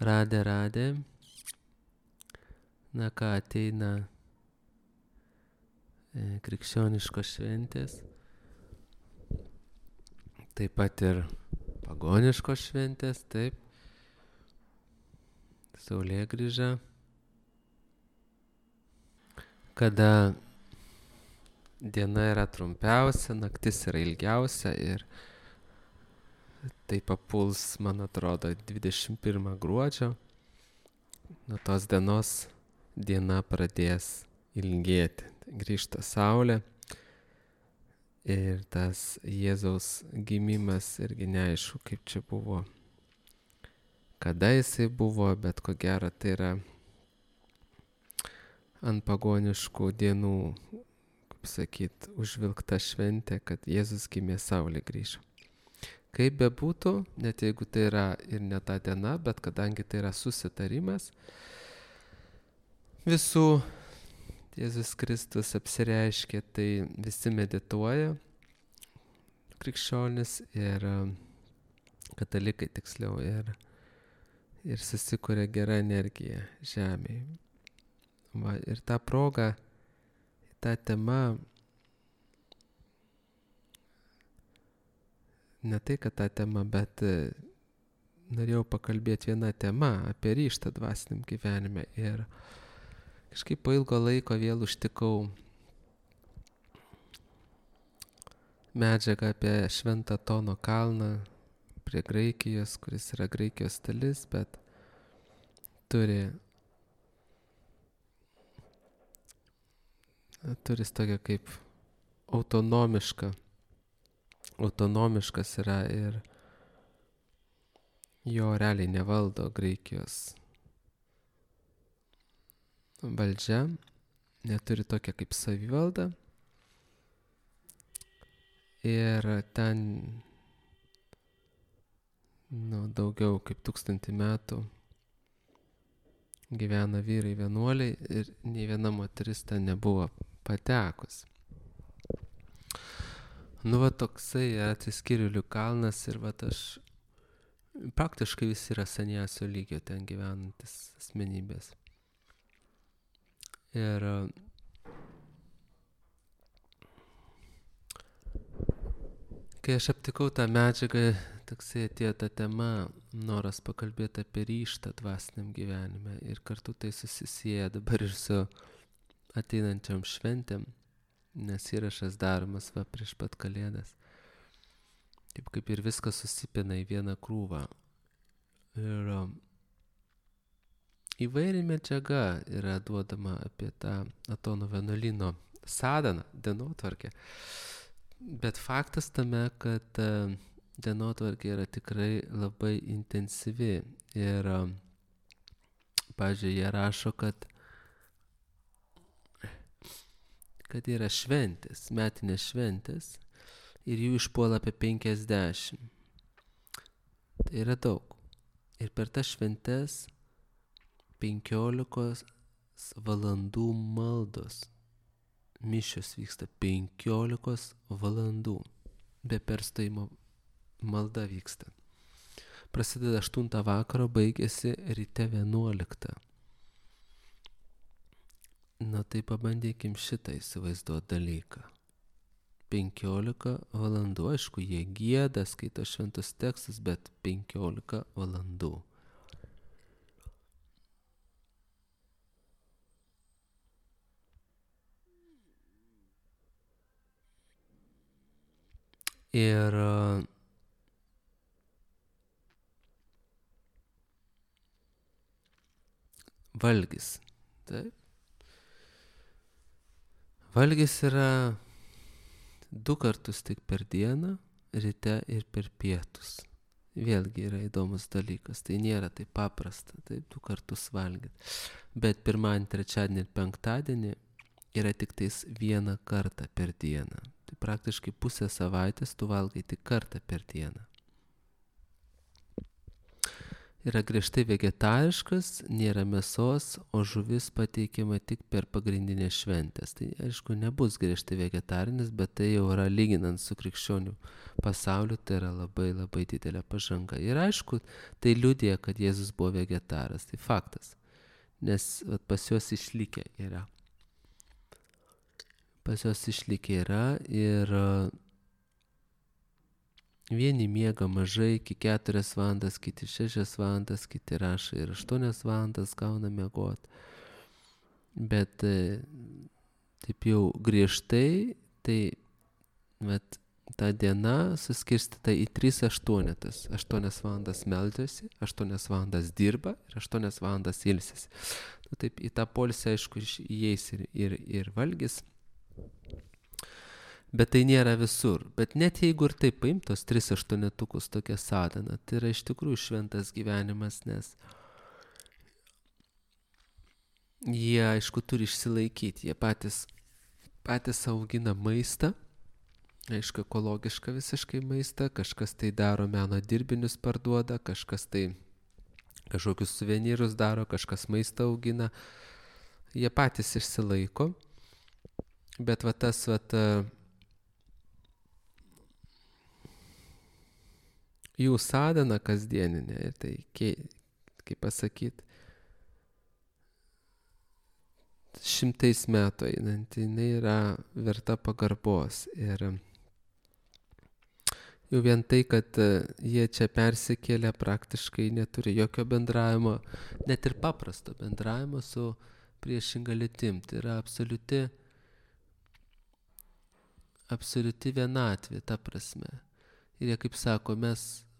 Radė. Na ką, ateina krikščioniškos šventės, taip pat ir pagoniškos šventės, taip, Saulėgrįža, kada diena yra trumpiausia, naktis yra ilgiausia ir tai papuls, man atrodo, 21 gruodžio. Nuo tos dienos diena pradės ilgėti. Grįžta saulė ir tas Jėzaus gimimas irgi neaišku, kaip čia buvo, kada jisai buvo, bet ko gero tai yra ant pagoniškų dienų, kaip sakyt, užvilkta šventė, kad Jėzus gimė, saulė grįžo. Kaip bebūtų, net jeigu tai yra ir ne ta diena, bet kadangi tai yra susitarimas visų, Jėzus Kristus apsireiškė, tai visi medituoja, krikščionis ir katalikai tiksliau, ir susikuria gera energija žemėje. Va, ir tą progą, tą temą, ne tai, kad tą temą, bet norėjau pakalbėti vieną temą apie ryžtą dvasiniam gyvenime ir kažkaip po ilgo laiko vėl užtikau medžiagą apie Šventą Tono kalną prie Graikijos, kuris yra Graikijos dalis, bet turi tokia kaip autonomiškas yra ir jo realiai nevaldo Graikijos valdžia, neturi tokia kaip savivalda ir ten daugiau kaip 1000 metų gyvena vyrai vienuoliai ir nei viena moteris ten nebuvo patekus. Va toksai atsiskyrėlių kalnas ir va aš praktiškai visi yra saniasio lygio ten gyvenantis asmenybės. Ir kai aš aptikau tą medžiagą, toksai atėjo ta tema, noras pakalbėti apie ryžtą dvasiniam gyvenime ir kartu tai susisieja dabar ir su ateinančiam šventėm, nes įrašas daromas va prieš pat Kalėdas. Taip kaip ir viskas susipina į vieną krūvą. Ir įvairi medžiaga yra duodama apie tą Atono vienuolyno sadaną, dienotvarkę. Bet faktas tame, kad dienotvarkė yra tikrai labai intensyvi. Ir, pavyzdžiui, jie rašo, kad yra šventės, metinės šventės ir jų išpuola apie 50. Tai yra daug. Ir per tas šventes 15 valandų maldos. Mišios vyksta 15 valandų. Be perstojimo malda vyksta. Prasideda 8 vakaro, baigėsi ryte 11. Tai pabandykim šitą įsivaizduoti dalyką. 15 valandų, aišku, jie gieda, skaito šventus tekstus, bet 15 valandų. Ir valgis. Taip. Valgis yra 2 kartus tik per dieną, ryte ir per pietus. Vėlgi yra įdomus dalykas, tai nėra taip paprasta, taip 2 kartus valgyti. Bet pirmadienį, trečiadienį ir penktadienį yra tik tais 1 kartą per dieną. Tai praktiškai pusę savaitės tu valgai tik kartą per dieną. yra griežtai vegetariškas, nėra mėsos, o žuvis pateikiama tik per pagrindinės šventės. Tai aišku, nebus griežtai vegetarinis, bet tai jau yra lyginant su krikščionių pasauliu, tai yra labai labai didelė pažanga. Ir aišku, tai liudija, kad Jėzus buvo vegetaras, tai faktas, nes pas juos išlikę yra. Pas juos išlikę yra ir vieni miega mažai iki 4 valandas, kiti 6 valandas, kiti rašo ir 8 valandas gauna miegot. Bet taip jau griežtai, tai ta diena suskirstyta į 3 aštuonetas. 8 valandas meldžiasi, 8 valandas dirba ir 8 valandas ilsisi. Taip į tą poilsį, aišku, įeis ir valgis. Bet tai nėra visur. Bet net jeigu ir taip paimtos 3 aštuonetukus tokia sadhana, tai yra iš tikrųjų šventas gyvenimas, nes jie, aišku, turi išsilaikyti. Jie patys augina maistą, aišku, ekologišką visiškai maistą, kažkas tai daro meno dirbinius parduoda, kažkas tai kažkokius suvenyrus daro, kažkas maistą augina. Jie patys išsilaiko. Bet tas jų sadhana kasdieninė, tai, kaip pasakyti, 100 metų einanti, jinai yra verta pagarbos. Ir jau vien tai, kad jie čia persikėlė, praktiškai neturi jokio bendravimo, net ir paprasto bendravimo su priešinga lytim. Tai yra absoliuti vienatvė, ta prasme. Ir jie, kaip sako,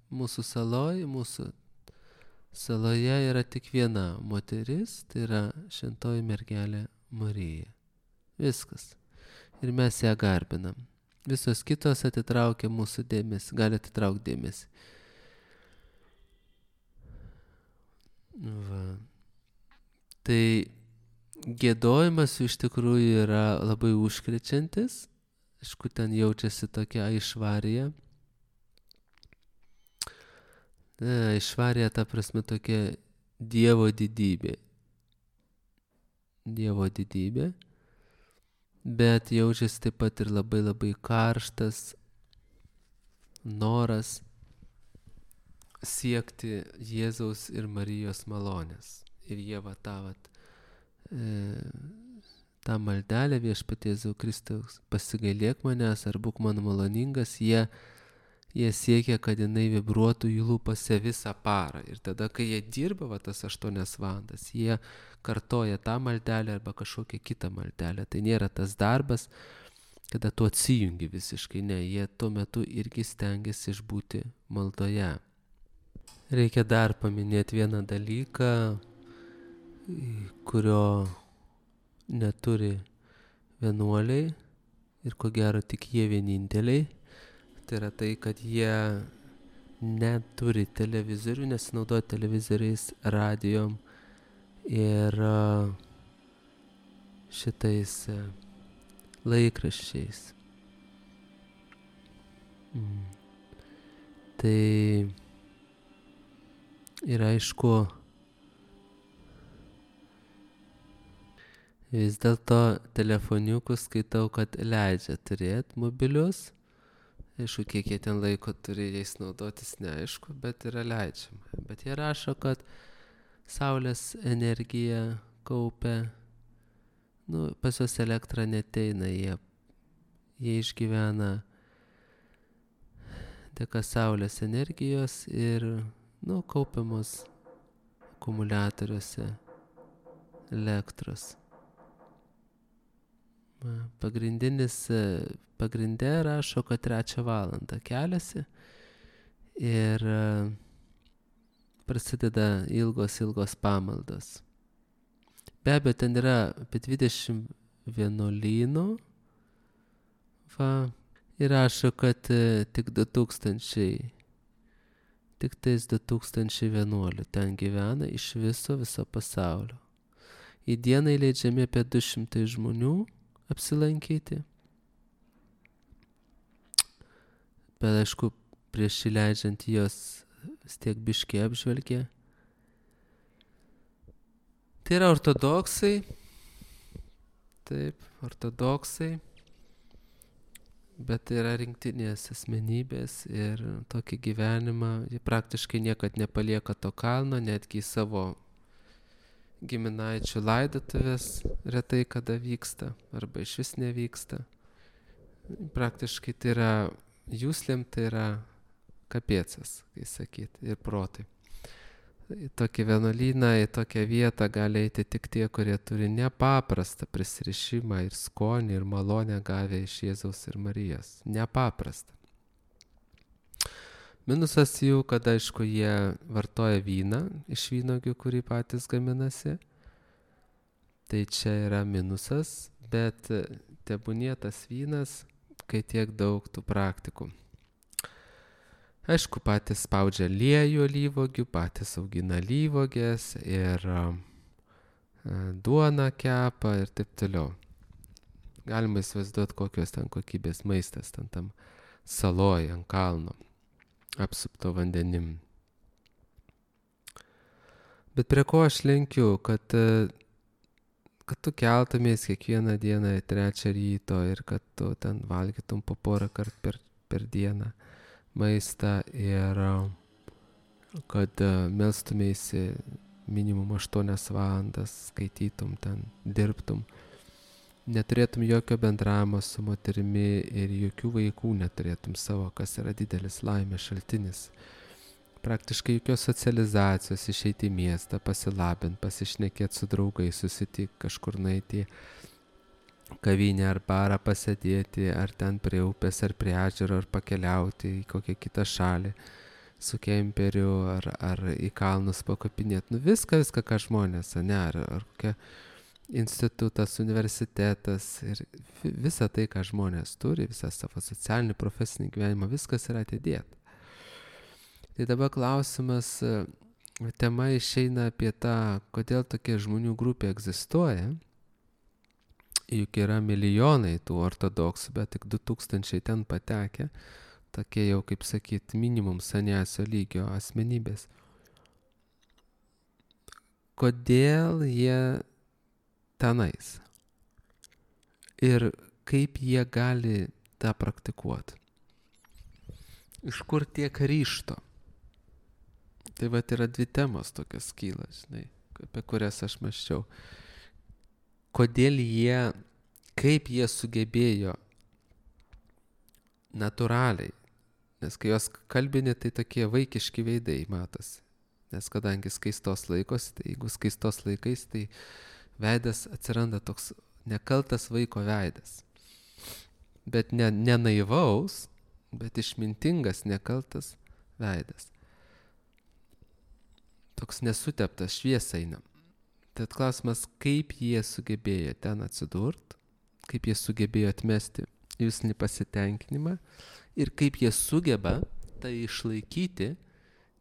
mūsų saloje yra tik viena moteris, tai yra šventoji mergelė Marija. Viskas. Ir mes ją garbinam. Visos kitos atitraukia mūsų dėmesį, gali atitraukti dėmesį. Tai giedojimas iš tikrųjų yra labai užkrečiantis. Aišku, ten jaučiasi tokia aišvarija. Aišvarija, ta prasme, tokia Dievo didybė. Dievo didybė. Bet jaučiasi taip pat ir labai labai karštas noras siekti Jėzaus ir Marijos malonės. Ir jie tą maldelę Viešpatie Jėzau Kristaus, pasigailėk manęs ar būk man maloningas, jie siekia, kad jinai vibruotų jų lūpose visą parą. Ir tada, kai jie dirba tas 8 valandas, jie kartoja tą maldelę arba kažkokią kitą maldelę. Tai nėra tas darbas, kada tu atsijungi visiškai. Ne, jie tuo metu irgi stengiasi išbūti maldoje. Reikia dar paminėti vieną dalyką, kurio neturi vienuoliai ir ko gero tik jie vieninteliai. Tai yra tai, kad jie neturi televizorių, nesinaudoja televizoriais, radijom ir šitais laikraščiais. Tai ir aišku, vis dėlto telefoniukus skaitau, kad leidžia turėti mobilius. Aišku, kiek jie ten laiko turi jais naudotis, neaišku, bet yra leidžiama. Bet jie rašo, kad saulės energija kaupia, pas juos elektra neteina, jie išgyvena dėka saulės energijos ir, kaupiamos akumuliatoriuose elektros. Pagrinde rašo, kad 3 valandą keliasi ir prasideda ilgos pamaldos. Be abejo, ten yra apie 20 vienuolynų. Ir rašo, kad tik 2000 vienuolių ten gyvena iš viso pasaulio. Į dieną įleidžiami apie 200 žmonių apsilankyti. Bet aišku, prieš įleidžiant jos vis tiek biškį apžvelgia, Tai yra ortodoksai, taip, ortodoksai, bet tai yra rinktinės asmenybės ir tokį gyvenimą, jie praktiškai niekad nepalieka to kalno, netgi į savo giminaičių laidotuvės retai kada vyksta, arba iš vis nevyksta. Praktiškai tai yra, jūslėm tai yra kapėcas, kai sakyt, ir protai. Į tokį vienuolyną, į tokią vietą gali eiti tik tie, kurie turi nepaprastą prisirišimą ir skonį ir malonę gavę iš Jėzaus ir Marijos. Nepaprastą. Minusas jų, kad aišku, jie vartoja vyną iš vynogių, kurį patys gaminasi. Tai čia yra minusas, bet tebūnie tas vynas, kai tiek daug tų praktikų. Aišku, patys spaudžia aliejų alyvuogių, patys augina alyvuogės ir duoną kepa ir taip toliau. Galima įsivaizduoti, kokios ten kokybės maistas ten tam saloj ant kalno, apsupto vandenim. Bet prie ko aš lenkiu, kad tu keltumės kiekvieną dieną į 3 ryto ir kad tu ten valgytum po porą kartų per dieną maistą ir kad melstumėsi minimum 8 valandas, skaitytum ten, dirbtum, neturėtum jokio bendravimo su moterimi ir jokių vaikų neturėtum savo, kas yra didelis laimės šaltinis. Praktiškai jokios socializacijos, išeiti į miestą, pasilabint, pasišnekėti su draugais, susitikti kažkur nueiti kavinę ar barą pasėdėti, ar ten prie upės, ar prie ežero, ar pakeliauti į kokią kitą šalį su kemperiu, ar į kalnus pakopinėti. Nu viską, ką žmonės, ne, ar kokia institutas, universitetas ir visa tai, ką žmonės turi, visą savo socialinį, profesinį gyvenimą, viskas yra atidėta. Tai dabar klausimas, tema išeina apie tą, kodėl tokia žmonių grupė egzistuoja. Juk yra milijonai tų ortodoksų, bet tik 2000 ten patekę, tokie jau, kaip sakyt, minimum saniasio lygio asmenybės. Kodėl jie tenais? Ir kaip jie gali tą praktikuoti? Iš kur tiek ryžto? Tai vat yra 2 temos tokios kyla, žinai, apie kurias aš mąsčiau. Kodėl jie, kaip jie sugebėjo natūraliai, nes kai jos kalbini, tai tokie vaikiški veidai matosi, nes kadangi skaistos laikos, tai jeigu skaistos laikais, tai veidas atsiranda toks nekaltas vaiko veidas, bet ne naivaus, bet išmintingas nekaltas veidas, toks nesuteptas, šviesa eina. Tad klausimas, kaip jie sugebėjo ten atsidurt, kaip jie sugebėjo atmesti jūslinį pasitenkinimą ir kaip jie sugeba tai išlaikyti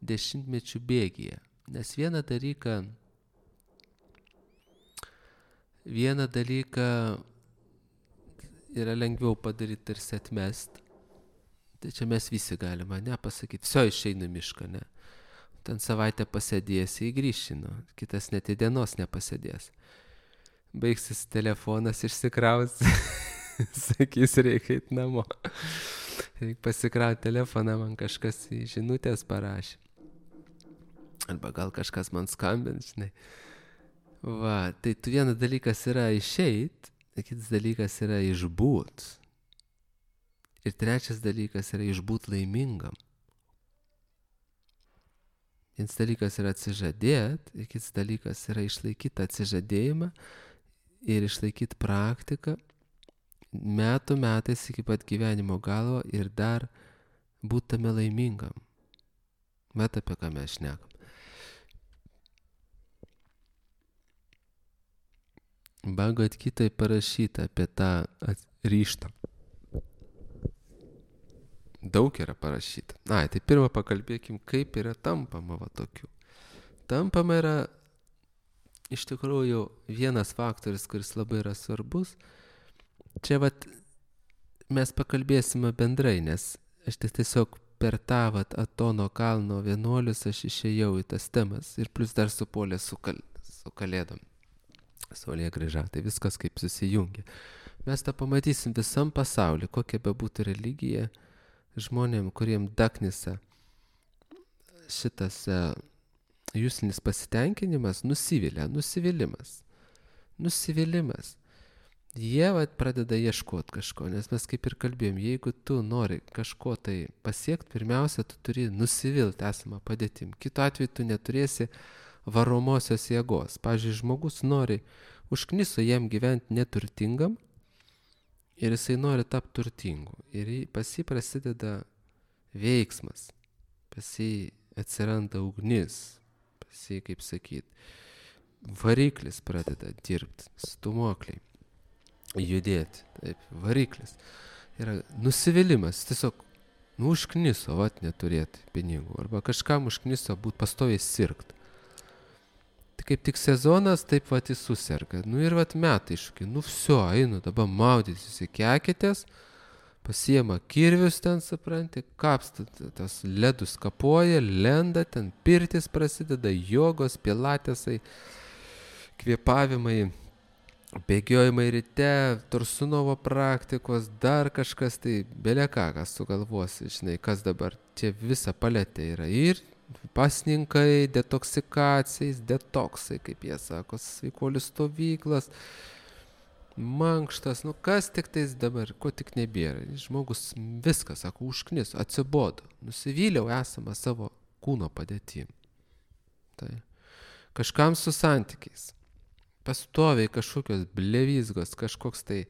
10-mečių bėgyje. Nes vieną dalyką yra lengviau padaryti tarsi atmest. Tai čia mes visi galime, ne, pasakyti, išeina mišką, ne. Ten savaitę pasėdėsi, įgrįšino, kitas net į dienos nepasėdės. Baigsis telefonas, išsikraus, sakys, reikia eiti namo. Reikia pasikrauti telefoną, man kažkas į žinutės parašė. Arba gal kažkas man skambins, žinai. Va, tai vienas dalykas yra išeit, kitas dalykas yra išbūt. Ir 3 dalykas yra išbūt laimingam. Vienas dalykas yra atsižadėti, ir kitas dalykas yra išlaikyti atsižadėjimą ir išlaikyti praktiką metais iki pat gyvenimo galo ir dar būti tame laimingam. Bet apie ką mes šnekam. Bhagavad Gitoj parašyta apie tą ryžtą. Daug yra parašyta. Tai pirmą pakalbėkim, kaip yra tampama va tokių. Tampama yra iš tikrųjų vienas faktorius, kuris labai yra svarbus. Čia vat mes pakalbėsime bendrai, nes aš tiesiog per tą vat Atono kalno vienuolius aš išėjau į tas temas ir plus dar supuolė su kalėdom. Saulėgrįža, tai viskas kaip susijungia. Mes tą pamatysim visam pasauliu, kokia bebūtų religija, žmonėm, kuriem daknisa šitas jūslinis pasitenkinimas, nusivylimas. Jie pradeda ieškoti kažko, nes mes kaip ir kalbėjom, jeigu tu nori kažko tai pasiekti, pirmiausia, tu turi nusivilti esamą padėtim. Kitu atveju tu neturėsi varomosios jėgos. Pavyzdžiui, žmogus nori, užkniso jam gyventi neturtingam ir jisai nori tapti turtingu. Ir pas jį prasideda veiksmas, pas jį atsiranda ugnis, pas jį, kaip sakyt, variklis pradeda dirbti, stumokliai. Judėti, taip, variklis. Yra nusivylimas, tiesiog, užkniso, neturėti pinigų, arba kažkam užkniso būt pastoviai sirgt. Tai kaip tik sezonas, taip jis suserga. Ir metai iššūkiai, viso, einu, dabar maudytis, įkekitės, pasiema kirvius ten, supranti, kapsta, tas ledus kapoja, lenda, ten pirtis prasideda, jogos, pilatesai, kvėpavimai, bėgiojimai ryte, Tursunovo praktikos, dar kažkas, tai beleką, kas sugalvosi, žinai, kas dabar čia visa paletė yra. Ir pasninkai, detoksikacijais, detoksai, kaip jie sako, sveikuolių stovyklas, mankštas, kas tik tais dabar, ko tik nebėra. Žmogus viską, sako, užkniso, atsibodo, nusivyliau esamą savo kūno padėtim. Tai kažkam su santykiais. Pastoviai kažkokios blevizgos, kažkoks tai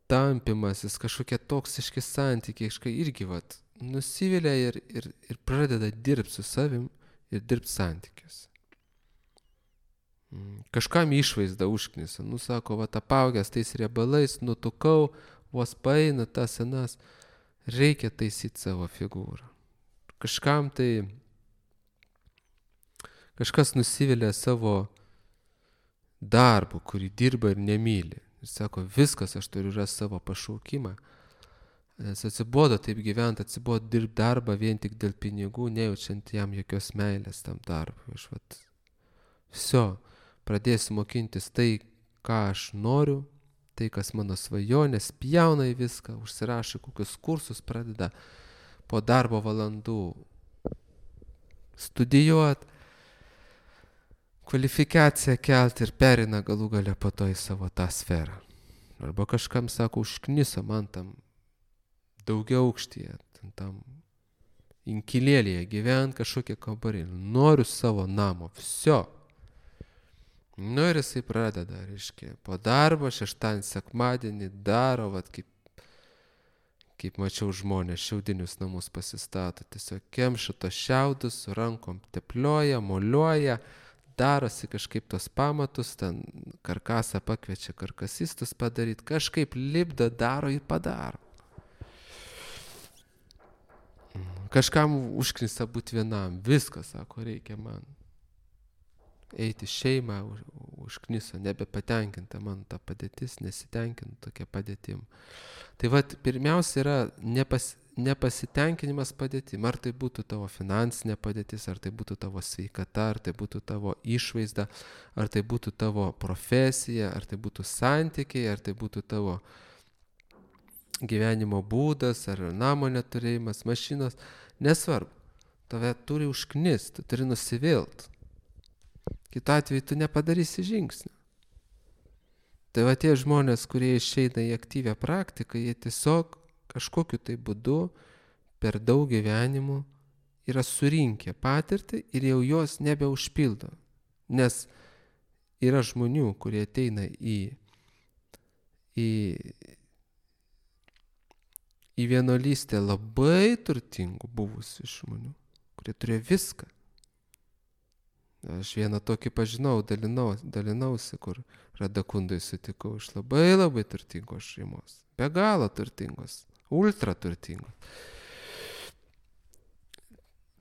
tampimasis, kažkokie toksiški santykiai, irgi nusivilia ir pradeda dirbti su savim ir dirbti santykius. Kažkam išvaizda užknisa, sako, apaugęs tais riebalais, nutukau, vos paeina tas senas, reikia taisyti savo figūrą. Kažkam tai, kažkas nusivilia savo darbu, kurį dirba ir nemyli. Ir sako, viskas, aš turiu rasti savo pašaukimą. Nes atsibodo taip gyventi, atsibodo dirbti darbą vien tik dėl pinigų, nejaučiant jam jokios meilės tam darbui. Viso, pradėsiu mokintis tai, ką aš noriu, tai, kas mano svajonės, pjauna į viską, užsirašo kokius kursus, pradeda po darbo valandų studijuoti, kvalifikaciją kelti ir perina galų gale po to į savo tą sferą. Arba kažkam sako, užkniso man tam daugiau aukštyje, tam inkilėlėje gyvent kažkokie kambarį. Noriu savo namo, viso. Ir jisai pradeda, reiškia, po darbo, šeštadienį, sekmadienį daro, kaip mačiau žmonės, šiaudinius namus pasistato. Tiesiog kemša tos šiaudus, su rankom teplioja, moliuoja, darosi kažkaip tos pamatus, ten karkasą pakviečia karkasistus padaryti, kažkaip lipdo, daro ir padaro. Kažkam užknisa būti vienam, viskas, sako, reikia man eiti šeimą, užkniso, nebepatenkinta man ta padėtis, nesitenkinta tokia padėtim. Tai pirmiausia yra nepasitenkinimas padėtim, ar tai būtų tavo finansinė padėtis, ar tai būtų tavo sveikata, ar tai būtų tavo išvaizda, ar tai būtų tavo profesija, ar tai būtų santykiai, ar tai būtų tavo gyvenimo būdas, ar namo neturėjimas, mašinos, nesvarbu. Tave turi užknist, tu turi nusivilt. Kitu atveju tu nepadarysi žingsnių. Tai tie žmonės, kurie išeina į aktyvią praktiką, jie tiesiog kažkokiu tai būdu per daug gyvenimų yra surinkę patirtį ir jau jos nebeužpildo. Nes yra žmonių, kurie ateina į vienuolystę labai turtingų buvusių žmonių, kurie turėjo viską. Aš vieną tokį pažinau, dalinausi, kur Radakundai sutikau, iš labai labai turtingos šeimos, be galo turtingos, ultra turtingos.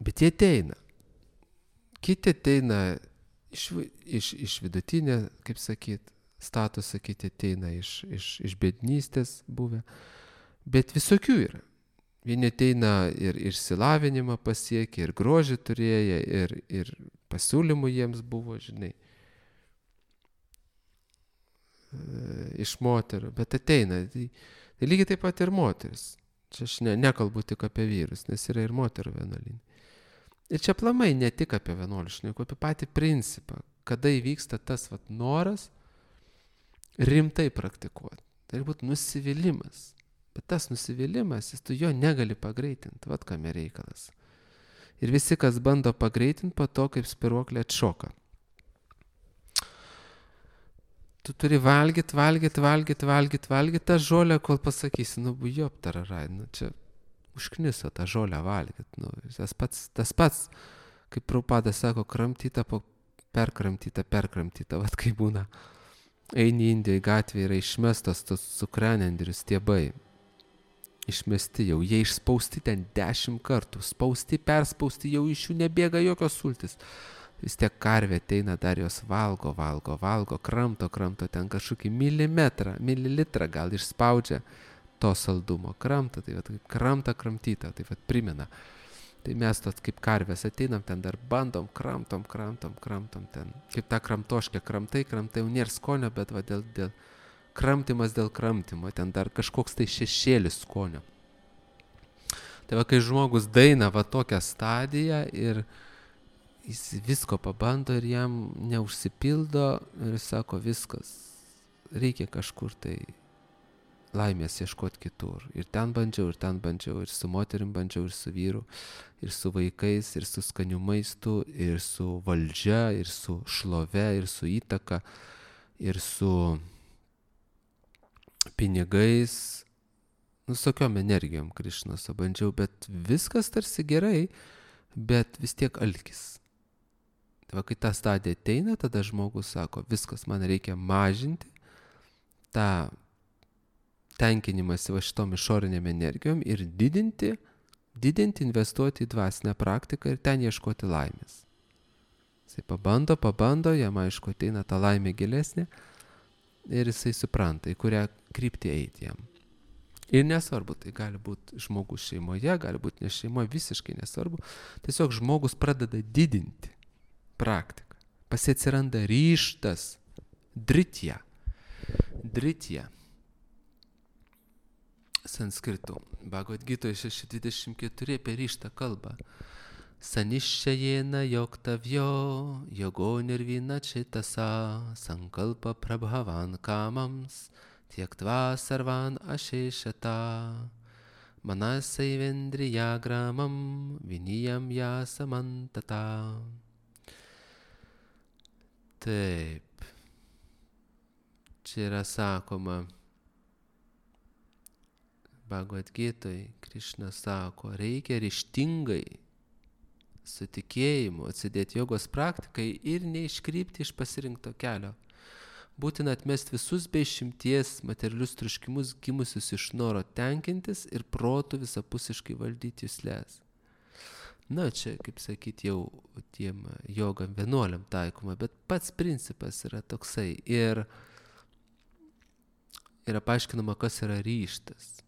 Bet jie ateina. Kiti ateina iš vidutinė, kaip sakyt, statusą, kiti ateina iš bėdnystės buvę. Bet visokių yra. Vieni ateina ir išsilavinimą pasiekia, ir grožį turėję, ir pasiūlymų jiems buvo, žinai. iš moterų, bet ateina. Tai lygiai taip pat ir moteris. Čia aš nekalbu tik apie vyrus, nes yra ir moterų vienuolynai. Ir čia aplamai ne tik apie vienuolius, šneku apie patį principą, kada įvyksta tas noras rimtai praktikuoti. Tai būtų nusivylimas. Bet tas nusivylimas, tu jo negali pagreitinti, vat kame reikalas. Ir visi, kas bando pagreitinti, po to kaip spiruoklė atšoka. Tu turi valgyti tą žolę, kol pasakysi, bujop tararai, čia užkniso tą žolę valgyti. Tas pats, kaip Prabhupada sako, kramtyta po perkramtyta, vat kaip būna. Eini Indijoje gatvėje, yra išmestos tos cukranendrių stiebai. Išmesti jau, jie išspausti ten 10 kartų, spausti, perspausti, jau iš jų nebėga jokios sultis. Vis tiek karvė ateina, dar jos valgo, kramto ten kažkokį mililitrą gal išspaudžia to saldumo. Kramto, tai vat, kramtyta, tai vat primena. Tai mes tos kaip karvės ateinam, ten dar bandom, kramtom ten. Kaip ta kramtoškė, kramtai, jau nėra skonio, bet va dėl kramtymas dėl kramtymo, ten dar kažkoks tai šešėlis skonio. Tai va, kai žmogus daina va tokią stadiją ir jis visko pabando ir jam neužsipildo ir sako viskas, reikia kažkur tai laimės ieškoti kitur. Ir ten bandžiau, ir su moterim bandžiau, ir su vyru, ir su vaikais, ir su skaniu maistu, ir su valdžia, ir su šlove, ir su įtaka, ir su pinigais, visokiom energijom Krišnos bandžiau, bet viskas tarsi gerai, bet vis tiek alkis. Tai va, kai ta stadija ateina, tada žmogus sako, viskas, man reikia mažinti tą tenkinimąsi va šitom išorinėm energijom ir didinti, investuoti į dvasinę praktiką ir ten ieškoti laimės. Jisai pabando, jam aišku ateina ta laimė gilesnė ir jisai supranta, į kurią kryptį eiti jam. Ir nesvarbu, tai gali būti žmogus šeimoje, gali būti ne šeimoje, visiškai nesvarbu. Tiesiog žmogus pradeda didinti praktiką. Pasiatsiranda ryžtas, dritya. Sanskritu. Bhagavad Gitoje 6.24 apie ryžtą kalba. Saniščajena yoktavyo yogo nirvina čitasa sankalpa prabhavan kamams tiektva sarvan ašešata manasai-vendriyagramam viniyam yasamantata. Taip. Čia yra sakoma Bhagavad Gitoje, Krišna sako, reikia ryžtingai su tikėjimu atsidėti jogos praktikai ir neiškrypti iš pasirinkto kelio. Būtina atmesti visus be išimties materialius troškimus gimusius iš noro tenkintis ir protų visapusiškai valdyti jusles. Čia, kaip sakyti, jau tiem jogam vienuoliam taikoma, bet pats principas yra toksai. Ir yra paaiškinama, kas yra ryžtas.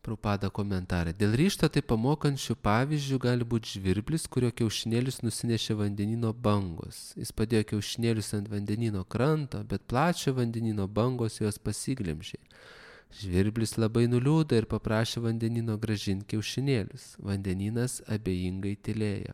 Prabhupada komentarė. Dėl ryžto tai pamokančių pavyzdžių gali būti žvirblis, kurio kiaušinėlius nusinešė vandenino bangos. Jis padėjo kiaušinėlius ant vandenino kranto, bet plačio vandenino bangos jos pasiglemžė. Žvirblis labai nuliūdo ir paprašė vandenino grąžinti kiaušinėlius. Vandeninas abejingai tylėjo.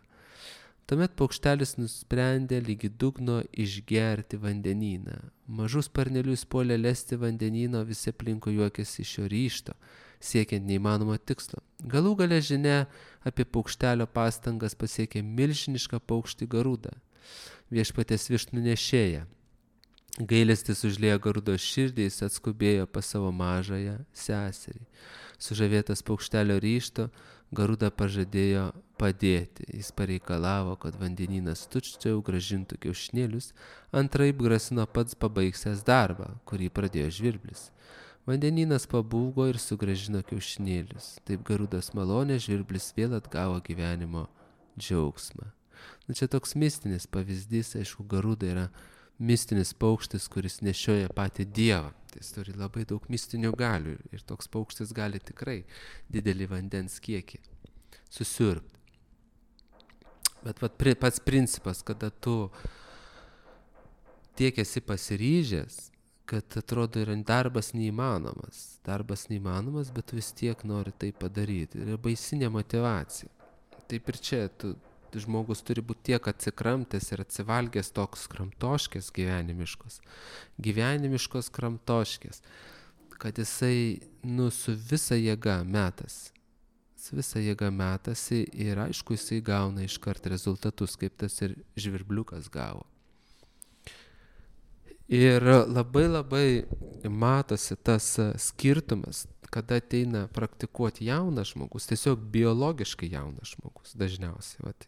Tuomet paukštelis nusprendė lygi dugno išgerti vandeniną. Mažus sparnelius puolė lesti vandenino, visi aplinkui juokėsi iš šio ryžto, siekiant neįmanomo tikslo. Galų gale žinia apie paukštelio pastangas pasiekė milžinišką paukštį Garudą, viešpaties višnų nešėją. Gailestis užliejo Garudo širdį, jis atskubėjo pas savo mažąją seserį. Sužavėtas paukštelio ryžto, Garuda pažadėjo padėti. Jis pareikalavo, kad vandenynas tučtuojau grąžintų kiaušinėlius, antraip grasino pats pabaigsiąs darbą, kurį pradėjo žvirblis. Vandenynas pabūgo ir sugrąžino kiaušinėlius. Taip Garudas malonė žvirblis vėl atgavo gyvenimo džiaugsmą. Čia toks mistinis pavyzdys, aišku, Garuda yra mistinis paukštis, kuris nešioja patį Dievą. Tai jis turi labai daug mistinių galių ir toks paukštis gali tikrai didelį vandens kiekį susiurbti. Bet pats principas, kada tu tiek esi pasiryžęs, kad atrodo yra darbas neįmanomas. Darbas neįmanomas, bet vis tiek nori tai padaryti. Yra baisinė motyvacija. Taip ir čia, žmogus turi būti tiek atsikramtęs ir atsivalgęs toks kramtoškės gyvenimiškos kramtoškės, kad jisai, su visa jėga metasi ir aišku, jisai gauna iškart rezultatus, kaip tas ir žvirbliukas gavo. Ir labai matosi tas skirtumas, kada ateina praktikuoti jaunas žmogus, tiesiog biologiškai jaunas žmogus dažniausiai. Vat,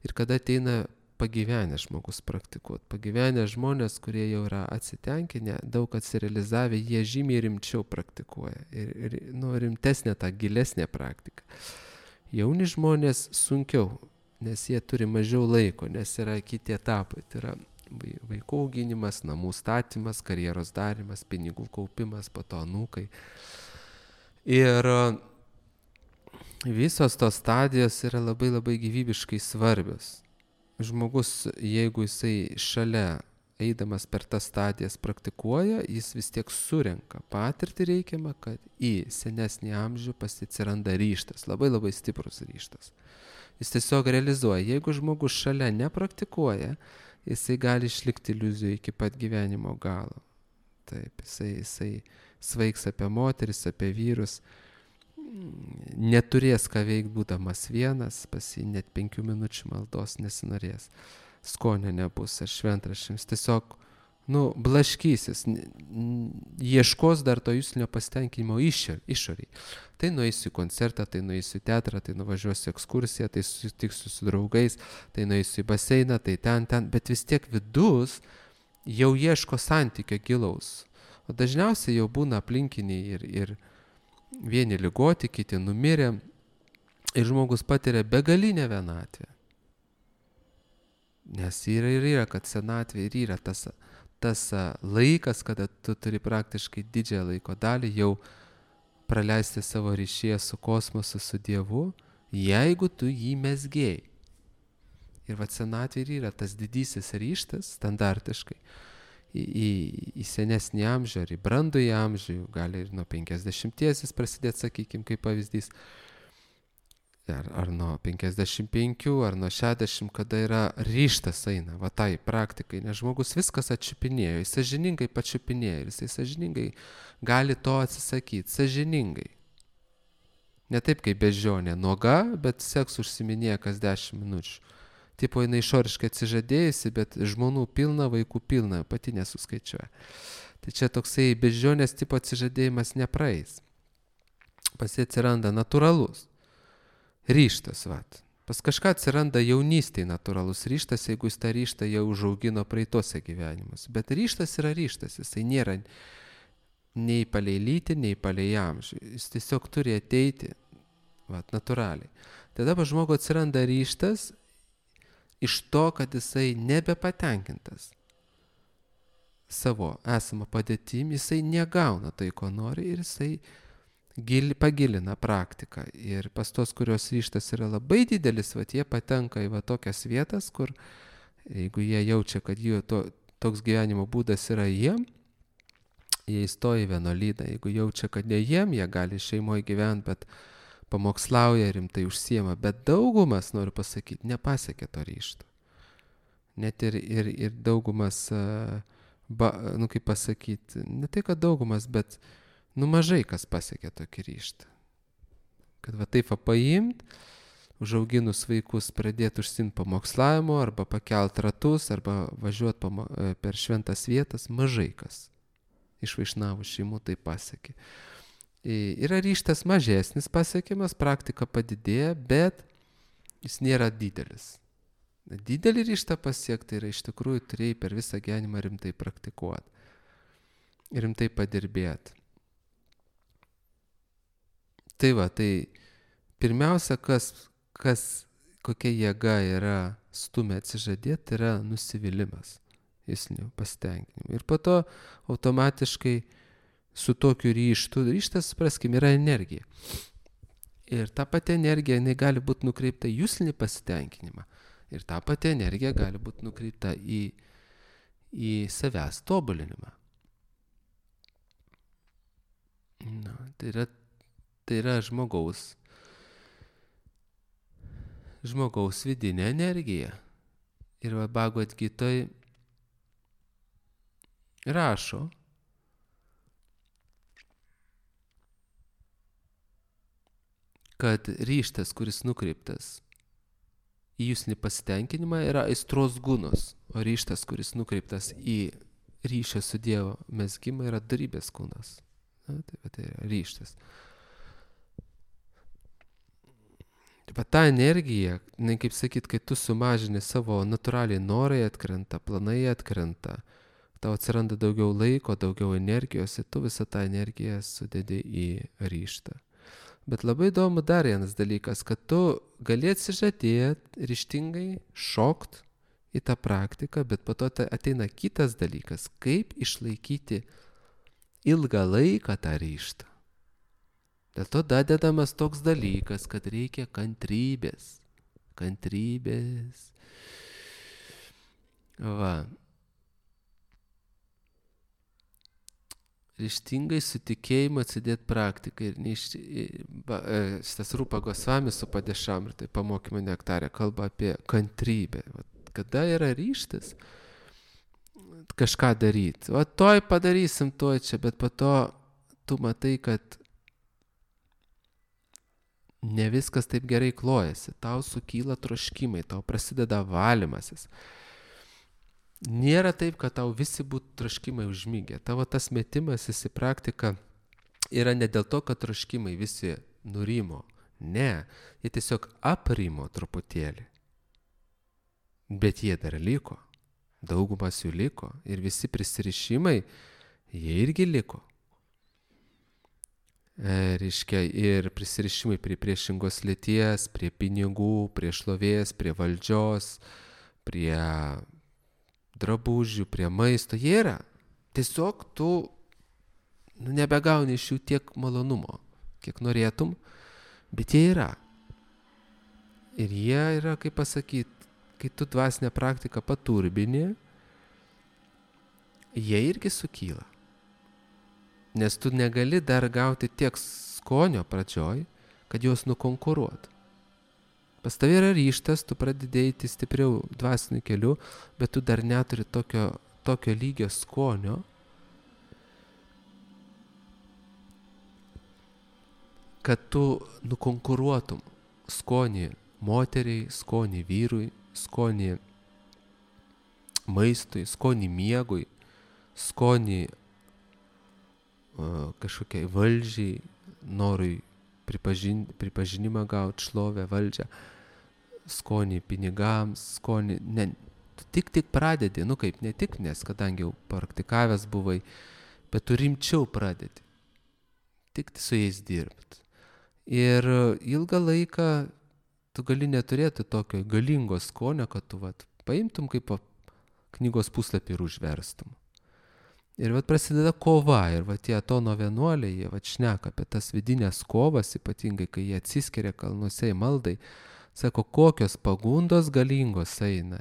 ir kada ateina pagyvenęs žmogus praktikuoti. Pagyvenę žmonės, kurie jau yra atsitenkinę, daug atsirealizavę, jie žymiai rimčiau praktikuoja. Ir rimtesnė ta gilesnė praktika. Jauni žmonės sunkiau, nes jie turi mažiau laiko, nes yra kiti etapai. Tai yra vaikų auginimas, namų statymas, karjeros darimas, pinigų kaupimas, po to anūkai. Ir visos tos stadijos yra labai gyvybiškai svarbios. Žmogus, jeigu jisai šalia eidamas per tas stadijas praktikuoja, jis vis tiek surenka patirtį reikiamą, kad į senesnį amžių atsiranda ryžtas, labai stiprus ryžtas. Jis tiesiog realizuoja, jeigu žmogus šalia nepraktikuoja, jisai gali išlikti iliuzijų iki pat gyvenimo galo. Taip, jisai svaigs apie moteris, apie vyrus, neturės ką veikti būdamas vienas, pas jį net 5 minučių maldos nesinorės, skonio nebus ar šventraščiams, tiesiog, blaškysis, ieškos dar to juslinio pasitenkinimo išoriai. Tai nueisiu į koncertą, tai nueisiu į teatrą, tai nuvažiuosiu ekskursiją, tai susitiksiu su draugais, tai nueisiu į baseiną, tai ten, bet vis tiek vidus jau ieško santykio gilaus. O dažniausiai jau būna aplinkiniai ir vieni ligoti, kiti numirė ir žmogus patiria begalinę vienatvę. Nes yra, kad senatvė ir yra tas laikas, kada tu turi praktiškai didžiąją laiko dalį jau praleisti savo ryšyje su kosmosu, su Dievu, jeigu tu jį mezgėjai. Ir senatvė yra tas didysis ryžtas standartiškai į senesnį amžių ar į brandųjį amžių, gali ir nuo 50 prasidėti, sakykime, kaip pavyzdys, ar nuo 55, ar nuo 60, kada yra ryžtas eina, tai praktikai, nes žmogus viskas atčiupinėjo, jis sąžiningai pačiupinėjo ir jisai sąžiningai gali to atsisakyti, sąžiningai. Ne taip kaip bežionė, nuoga, bet seks užsiminėja kas 10 minučių. Tipo, jinai išoriškai atsižadėjusi, bet žmonų pilna, vaikų pilna, pati nesuskaičiuoja. Tai čia toksai bežionės tipo atsižadėjimas nepraeis. Pas jį atsiranda natūralus ryžtas, Pas kažką atsiranda jaunystėje natūralus ryžtas, jeigu jis tą ryžtą jau užaugino praeitose gyvenimus. Bet ryžtas yra ryžtas, jisai nėra nei palei lytį, nei palei amžių. Jis tiesiog turi ateiti, natūraliai. Tada pas žmogų atsiranda ryžtas iš to, kad jisai nebepatenkintas savo esamą padėtim, jisai negauna tai, ko nori ir jisai pagilina praktiką. Ir pas tos, kurios ryžtas yra labai didelis, jie patenka į tokias vietas, kur jeigu jie jaučia, kad jų toks gyvenimo būdas yra jie įstoja į vienuolyną. Jeigu jaučia, kad ne jie gali šeimoje gyventi, bet pamokslauja, rimtai užsiema, bet daugumas, noriu pasakyti, nepasiekė to ryžto. Net ir daugumas, kaip pasakyti, ne tai, kad daugumas, bet mažai kas pasiekė tokį ryžtą. Kad taip paimt, užauginus vaikus pradėti užsiimti pamokslavimo, arba pakelt ratus, arba važiuoti per šventas vietas, mažai kas iš vaišnavų šeimų tai pasiekė. Yra ryžtas mažesnis pasiekimas, praktika padidėja, bet jis nėra didelis. Didelį ryžtą pasiekti yra iš tikrųjų turėjai per visą gyvenimą rimtai praktikuoti, rimtai padirbėti. Tai pirmiausia, kokia jėga yra stumia atsižadėti, yra nusivylimas, jūslinių pasitenkinimų. Ir po to automatiškai su tokiu ryžtu, ryžtas, supraskim, yra energija. Ir ta pati energija, jinai gali būti nukreipta į jūslinį pasitenkinimą. Ir ta pati energija gali būti nukreipta į savęs tobulinimą. Na, tai yra žmogaus vidinė energija. Ir va Bhagavad Gitoj rašo, kad ryžtas, kuris nukreiptas į jūsų nepasitenkinimą, yra aistros gunos, o ryžtas, kuris nukreiptas į ryšio su Dievo mezgimą, yra dorybės kūnas. Na, tai yra ryžtas. Taip pat ta energija, kaip sakyt, kai tu sumažini savo natūraliai norai atkrenta, planai atkrenta, tau atsiranda daugiau laiko, daugiau energijos ir tu visą tą energiją sudedi į ryžtą. Bet labai įdomu dar vienas dalykas, kad tu gali atsižadėti, ryžtingai šokt į tą praktiką, bet po to ateina kitas dalykas, kaip išlaikyti ilgą laiką tą ryžtą. Dėl to dadedamas toks dalykas, kad reikia kantrybės. Va. Ryžtingai su tikėjimu atsidėti praktikai. Šitas Rupa Gosvami su Padešam ir tai pamokymo nektarė kalba apie kantrybę. Kada yra ryžtas kažką daryti? O toj padarysim, toj čia, bet po to tu matai, kad ne viskas taip gerai klojasi. Tau sukyla troškimai, tau prasideda valymasis. Nėra taip, kad tau visi būtų troškimai užmygę. Tavo tas metimasis į praktiką yra ne dėl to, kad troškimai visi nurimo. Ne, jie tiesiog aprimo truputėlį. Bet jie dar liko. Daugumas jų liko. Ir visi prisirišimai, jie irgi liko. Reiškia, ir prisirišimai prie priešingos lyties, prie pinigų, prie šlovės, prie valdžios, prie drabužių, prie maisto, jie yra. Tiesiog tu nebegauni iš jų tiek malonumo, kiek norėtum, bet jie yra. Ir jie yra, kaip pasakyti, kai tu dvasinę praktiką paturbini, jie irgi sukyla. Nes tu negali dar gauti tiek skonio pradžioj, kad juos nukonkuruot. Pas tavai yra ryžtas, tu pradedi eiti stipriau dvasiniu keliu, bet tu dar neturi tokio lygio skonio, kad tu nukonkuruotum skonį moteriai, skonį vyrui, skonį maistui, skonį miegui, skonį kažkokiai valdžiai, norui pripažinimą gauti, šlovę, valdžią, skonį pinigams, skonį, ne, tu tik pradedi, kaip ne tik, nes kadangi jau praktikavęs buvai, bet tu rimčiau pradedi, tik su jais dirbti. Ir ilgą laiką tu gali neturėti tokio galingo skonio, kad tu paimtum kaip knygos puslapį ir užverstum. Ir prasideda kova, ir tie Atono vienuoliai, jie šneka apie tas vidinės kovas, ypatingai kai jie atsiskiria kalnuose į maldai, sako, kokios pagundos galingos eina.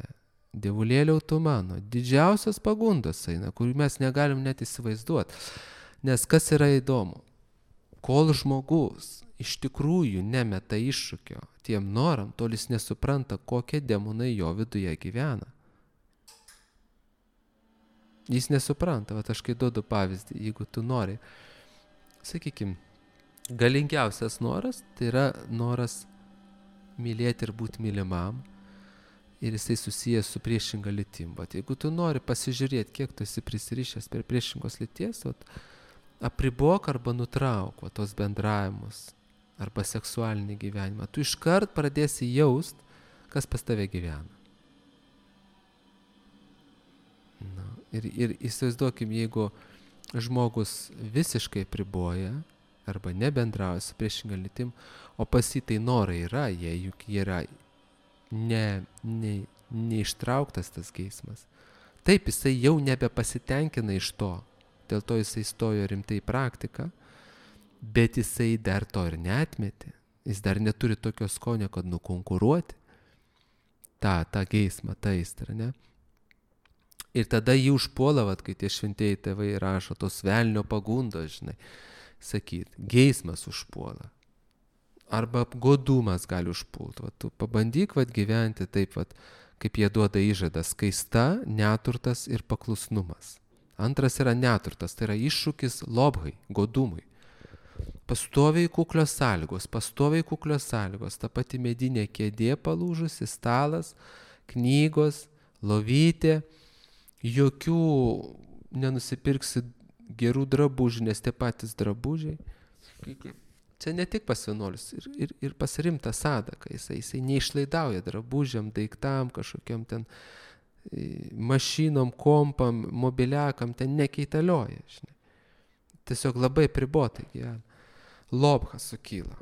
Dievulėliau tu mano, didžiausios pagundos eina, kurių mes negalim net įsivaizduoti. Nes kas yra įdomu, kol žmogus iš tikrųjų nemeta iššūkio tiem noram, tol jis nesupranta, kokie demonai jo viduje gyvena. Jis nesupranta, aš kai duodu pavyzdį, jeigu tu nori, sakykime, galingiausias noras, tai yra noras mylėti ir būti mylimam, ir jisai susijęs su priešinga lytim. Jeigu tu nori pasižiūrėti, kiek tu esi prisirišęs prie priešingos lyties, apribok arba nutrauk tos bendravimus, arba seksualinį gyvenimą. Tu iškart pradėsi jaust, kas pas tave gyvena. Ir įsivaizduokim, jeigu žmogus visiškai priboja arba nebendrauja su priešinga lytim, o pas jį tai norai yra, juk yra neištrauktas tas geismas. Taip, jisai jau nebepasitenkina iš to, dėl to jisai stojo rimtai į praktiką, bet jisai dar to ir neatmetė. Jis dar neturi tokio skonio, kad nukonkuruoti tą geismą, tą aistrą, ne? Ir tada jį užpuola, kai tie šventieji tėvai rašo, tos velnio pagundos, žinai. sakyt, geismas užpuola. Arba godumas gali užpulti. Tu pabandyk gyventi taip, kaip jie duoda įžadą, skaista, neturtas ir paklusnumas. Antras yra neturtas, tai yra iššūkis lobhai, godumui. Pastoviai kuklios sąlygos, ta pati medinė kėdė palūžusi, stalas, knygos, lovytė, jokių nenusipirksi gerų drabužių, nes tie patys drabužiai. Čia ne tik pas vienuolius, ir pas rimtą sadaką, jisai neišlaidauja drabužiam, daiktam, kažkokiam ten mašinom, kompam, mobiliakam, ten nekeitalioja, žinai. Tiesiog labai pribotai gyvena. Lobhas sukyla.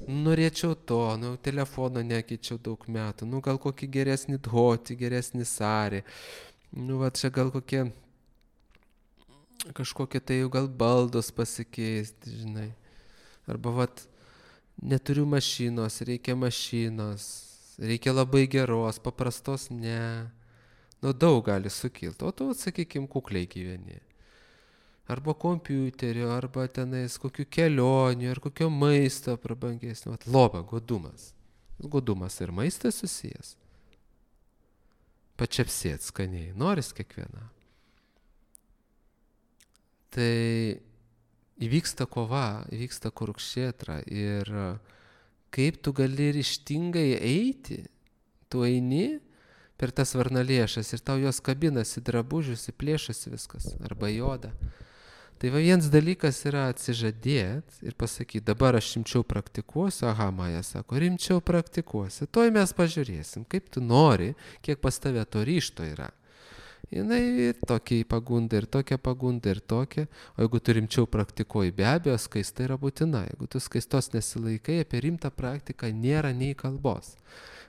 Norėčiau to, telefono nekeičiau daug metų, gal kokį geresnį dhoti, geresnį sarį, čia gal kažkokie tai jau gal baldos pasikeisti, žinai. Arba neturiu mašinos, reikia mašinos, reikia labai geros, paprastos ne. Daug gali sukilti, o tu, sakykim, kukliai gyveni. Arba kompiuterio, arba tenais kokių kelionių, ar kokio maisto prabangesnio. Loba, godumas. Godumas ir maistas susijęs. Pačiapsėt skaniai, noris kiekvieną. Tai įvyksta kova, įvyksta kurukšėtra ir kaip tu gali ryžtingai eiti, tu eini per tas varnalėšas ir tau jos kabinasi drabužius, plėšasi viskas, arba joda. Tai vienas dalykas yra atsižadėti ir pasakyti, dabar aš rimčiau praktikuosiu, Maja sako, rimčiau praktikuosiu, toj mes pažiūrėsim, kaip tu nori, kiek pas tave to ryžto yra. Jinai ir tokia pagunda, ir tokia, o jeigu tu rimčiau praktikuoji, be abejo, skaista yra būtina, jeigu tu skaistos nesilaikai, apie rimtą praktiką nėra nei kalbos.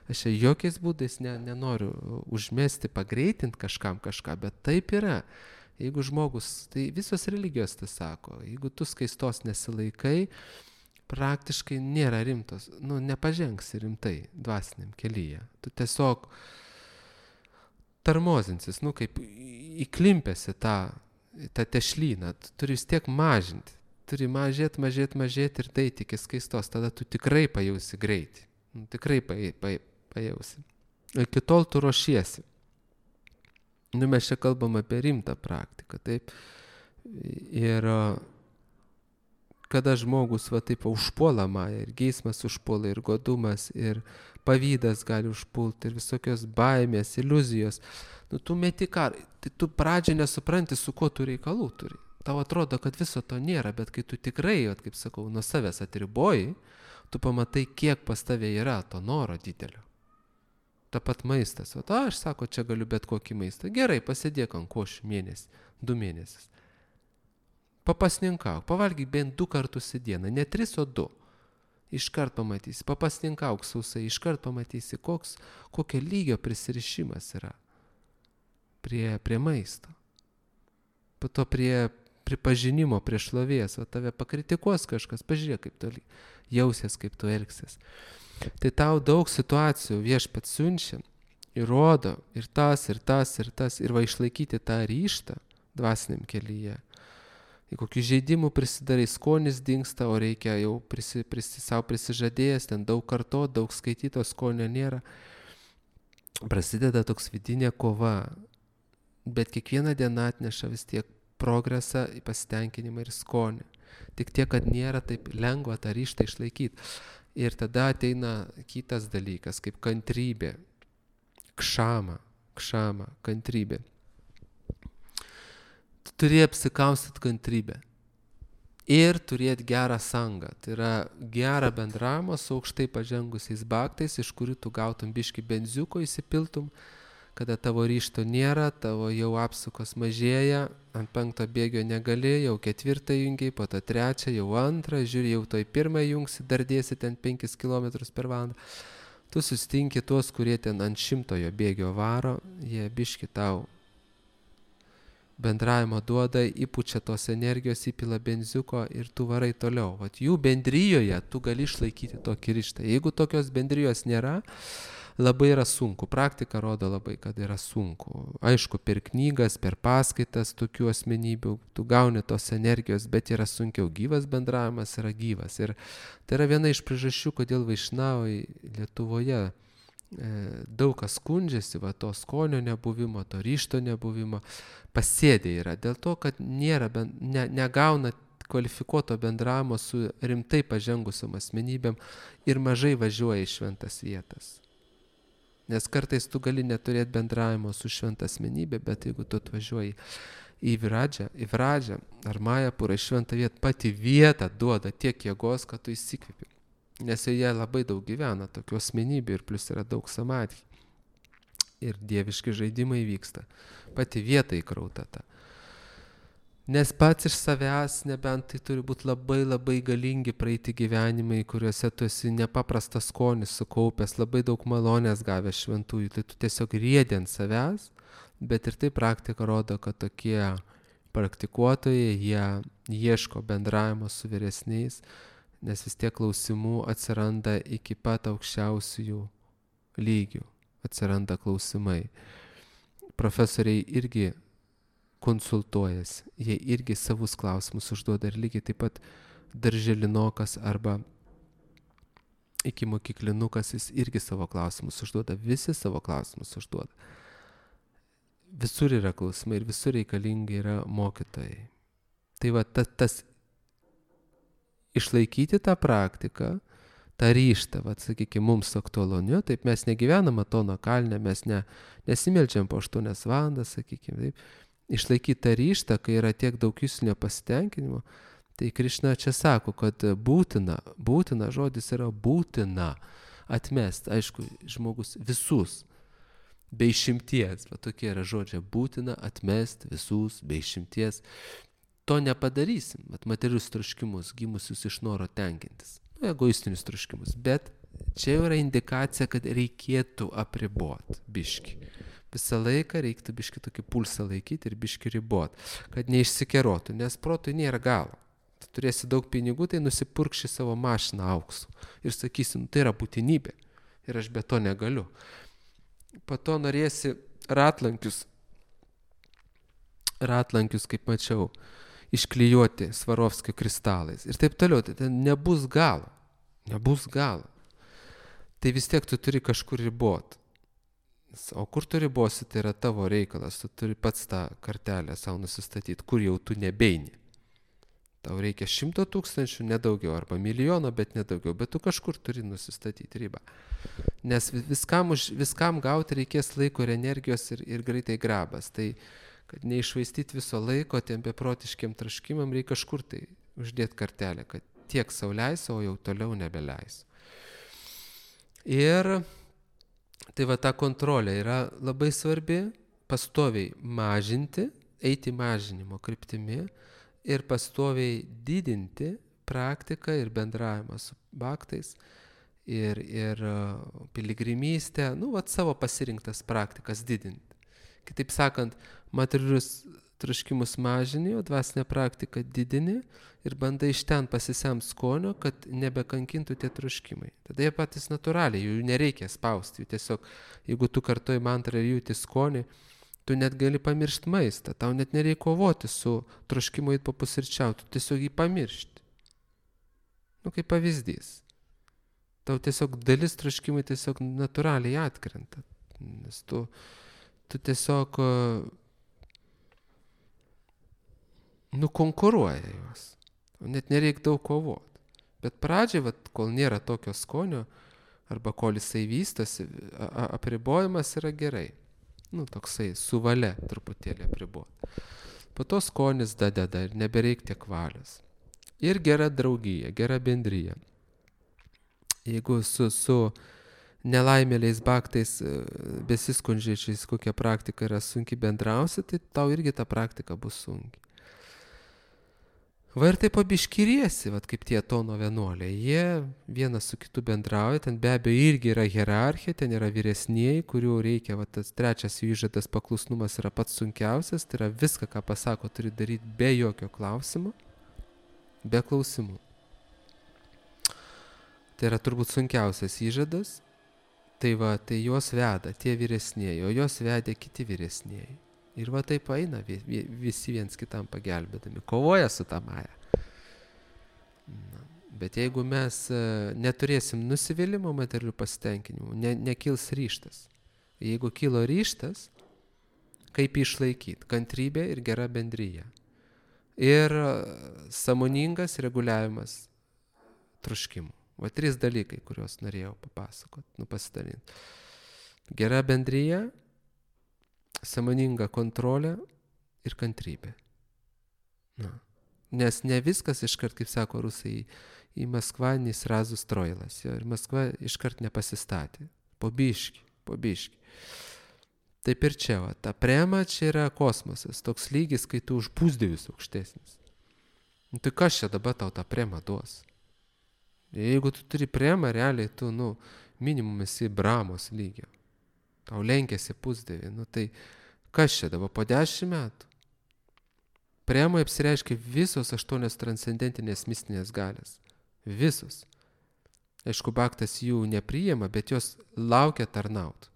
Aš jokiais būdais nenoriu užmesti, pagreitinti kažką, bet taip yra. Jeigu žmogus, tai visos religijos tai sako, jeigu tu skaistos nesilaikai, praktiškai nėra rimtos, nepažengsi rimtai dvasiniam kelyje. Tu tiesiog tarmozinsis, kaip įklimpėsi tą tešlyną, tu turi vis tiek mažinti. Turi mažėti ir tai iki skaistos, tada tu tikrai pajausi greitį. Tikrai pajausi. Iki tol tu ruošiesi. Mes čia kalbam apie rimtą praktiką, taip. Ir kada žmogus taip užpuola Maja, ir geismas užpuola, ir godumas, ir pavydas gali užpulti, ir visokios baimės, iliuzijos. Tu meti karą, tai tu pradžią nesupranti, su kuo tu reikalų turi. Tau atrodo, kad viso to nėra, bet kai tu tikrai, kaip sakau, nuo savęs atriboji, tu pamatai, kiek pas tave yra to noro didelio. Ta pat maistas. Aš sako, čia galiu bet kokį maistą. Gerai, pasidėk ant košių mėnesį, 2 mėnesius. Papasninkauk, pavalgyk bent 2 kartus į dieną, ne 3, o 2. Iškart pamatysi, papasninkauk sausai, iškart pamatysi, kokio lygio prisirišimas yra prie maisto. Po to prie pripažinimo, prie šlovės, tave pakritikuos kažkas, pažiūrėk, kaip tu jausies, kaip tu elgsies. Tai tau daug situacijų viešpats siunčia, įrodo ir tas, ir išlaikyti tą ryžtą dvasiniam kelyje. Į kokių žaidimų prisidarai, skonis dingsta, o reikia jau savo prisižadėjęs, ten daug kartot, daug skaityto, skonio nėra. Prasideda toks vidinė kova, bet kiekviena diena atneša vis tiek progresą, pasitenkinimą ir skonį. Tik tiek, kad nėra taip lengva tą ryžtą išlaikyti. Ir tada ateina kitas dalykas, kaip kantrybė, kšama, kantrybė. Tu turi apsikaustyti kantrybę ir turėti gerą sangą. Tai yra gerą bendravimą su aukštai pažengusiais baktais, iš kurių tu gautum biškį benziuko, įsipiltum, kada tavo ryžto nėra, tavo jau apsukos mažėja, ant 5 bėgio negali, jau 4 jungiai, po to 3, jau 2, žiūri, jau toj 1 jungsi, dar dėsi ten 5 km per valandą. Tu sustinki tuos, kurie ten ant 100 bėgio varo, jie biški tau bendravimo duoda, įpučia tos energijos, įpila benziuko ir tu varai toliau. Jų bendrijoje tu gali išlaikyti tokį ryžtą. Jeigu tokios bendrijos nėra, labai yra sunku. Praktika rodo labai, kad yra sunku. Aišku, per knygas, per paskaitas tokių asmenybių tu gauni tos energijos, bet yra sunkiau. Gyvas bendravimas yra gyvas. Ir tai yra viena iš priežasčių, kodėl vaišnavai Lietuvoje daug kas skundžiasi, va, to skonio nebuvimo, to ryšto nebuvimo, pasėdė yra. Dėl to, kad negauna kvalifikuoto bendravimo su rimtai pažengusiom asmenybėm ir mažai važiuoja į šventas vietas. Nes kartais tu gali neturėti bendravimo su šventa asmenybė, bet jeigu tu atvažiuoji į Viradžią ar Majapurą, į šventą vietą, pati vieta duoda tiek jėgos, kad tu įsikvėpi. Nes joje labai daug gyvena tokių asmenybių ir plus yra daug samadhi. Ir dieviški žaidimai vyksta. Pati vieta įkrauta ta. Nes pats iš savęs, nebent tai turi būti labai labai galingi praeiti gyvenimai, kuriuose tu esi nepaprastas skonis sukaupęs, labai daug malonės gavęs šventųjų, tai tu tiesiog riedi ant savęs, bet ir tai praktika rodo, kad tokie praktikuotojai, jie ieško bendravimo su vyresniais, nes vis tiek klausimų atsiranda iki pat aukščiausių lygių, atsiranda klausimai. Profesoriai irgi konsultuojasi, jie irgi savus klausimus užduoda ir lygiai taip pat darželinokas arba ikimokyklinukas, jis irgi savo klausimus užduoda, visi savo klausimus užduoda. Visur yra klausimai ir visur reikalingi yra mokytojai. Tai va, tas išlaikyti tą praktiką, tą ryžtą, va, sakykime, mums aktualu, ne? Taip mes negyvenam Atono kalne, mes nesimeldžiam po 8 valandas, sakykime, taip. Išlaikyti tą ryžtą, kai yra tiek daug jūslinio pasitenkinimo, tai Krišna čia sako, kad būtina žodis yra būtina atmest, aišku, žmogus visus, be išimties, va tokie yra žodžiai, būtina atmest visus, be išimties. To nepadarysim, materialius troškimus, gimusius iš noro tenkintis, egoistinius troškimus, bet čia jau yra indikacija, kad reikėtų apriboti biškį. Visą laiką reiktų biškį tokį pulsą laikyti ir biškį ribot, kad neišsikerotų, nes protui nėra galo. Tu turėsi daug pinigų, tai nusipurkši savo mašiną auksu ir sakysi, tai yra būtinybė ir aš be to negaliu. Po to norėsi ratlankius, kaip mačiau, išklijuoti Svarovskio kristalais ir taip toliau, tai ten nebus galo. Tai vis tiek tu turi kažkur ribot. O kur tu ribosi, tai yra tavo reikalas, tu turi pats tą kartelę savo nusistatyti, kur jau tu nebeini. Tau reikia 100 000, nedaugiau, arba 1 milijono, bet nedaugiau, bet tu kažkur turi nusistatyti ribą. Nes viskam gauti reikės laiko ir energijos ir greitai grabas. Tai, kad neišvaistyti viso laiko tiem beprotiškiam troškimam, reikia kažkur tai uždėti kartelę, kad tiek sau leisiu, o jau toliau nebeleisiu. Ir tai va ta kontrolė yra labai svarbi, pastoviai mažinti, eiti mažinimo kryptimi ir pastoviai didinti praktiką ir bendravimą su bhaktais ir piligrimystę, savo pasirinktas praktikas didinti. Kitaip sakant, materialius troškimus mažini, o dvasinę praktiką didini ir bandai iš ten pasisemt skonio, kad nebekankintų tie troškimai. Tada jie patys natūraliai, jų nereikia spausti, jų tiesiog, jeigu tu kartoji mantrą ir jauti skonį, tu net gali pamiršti maistą, tau net nereikia kovoti su troškimu eit papusryčiauti, tu tiesiog jį pamiršti. Kaip pavyzdys. Tau tiesiog dalis troškimai tiesiog natūraliai atkrenta, nes tu tiesiog konkuruoja juos. Net nereikia daug kovoti. Bet pradžiai, kol nėra tokio skonio, arba kol jisai vystosi, apribojimas yra gerai. Toksai su valia truputėlį apriboti. Po to skonis dadeda ir nebereik tiek valios. Ir gera draugija, gera bendryja. Jeigu su nelaimėliais bhaktais besiskundžiančiais kokia praktika yra sunki bendrausi, tai tau irgi ta praktika bus sunki. Va ir taip pabiškiriesi, kaip tie Atono vienuoliai. Jie vienas su kitu bendrauja, ten be abejo irgi yra hierarchija, ten yra vyresnieji, kurių reikia, tas trečias jų įžadas paklusnumas yra pats sunkiausias, tai yra viską, ką pasako, turi daryti be jokio klausimo, be klausimų. Tai yra turbūt sunkiausias įžadas Tai va, tai juos veda tie vyresnieji, o juos vedė kiti vyresnieji. Ir va taip eina visi viens kitam pagelbėdami, kovoja su ta Maja. Bet jeigu mes neturėsim nusivylimo materialių pasitenkinimų, nekils ryžtas. Jeigu kilo ryžtas, kaip išlaikyti? Kantrybė ir gera bendryja. Ir sąmoningas reguliavimas troškimų. Va 3 dalykai, kuriuos norėjau papasakoti, pasidalinti. Gera bendryja, sąmoninga kontrolė ir kantrybė. Na. Nes ne viskas iškart, kaip sako rusai, į Maskvą nesrazu stroilas. Ir Maskva iškart nepasistatė. Po biškį. Taip ir čia, va, ta prema čia yra kosmosas. Toks lygis, kai tu už pusdievius aukštesnis. Nu, tai kas čia dabar tau tą premą duos? Jeigu tu turi premą, realiai tu, minimum esi Brahmos lygio. Tau lenkėsi pusdievį. Tai kas čia dabar po 10 metų? Premai apsireiškia visos 8 transcendentinės mistinės galės. Visos. Aišku, Bhaktas jų nepriima, bet jos laukia tarnaut.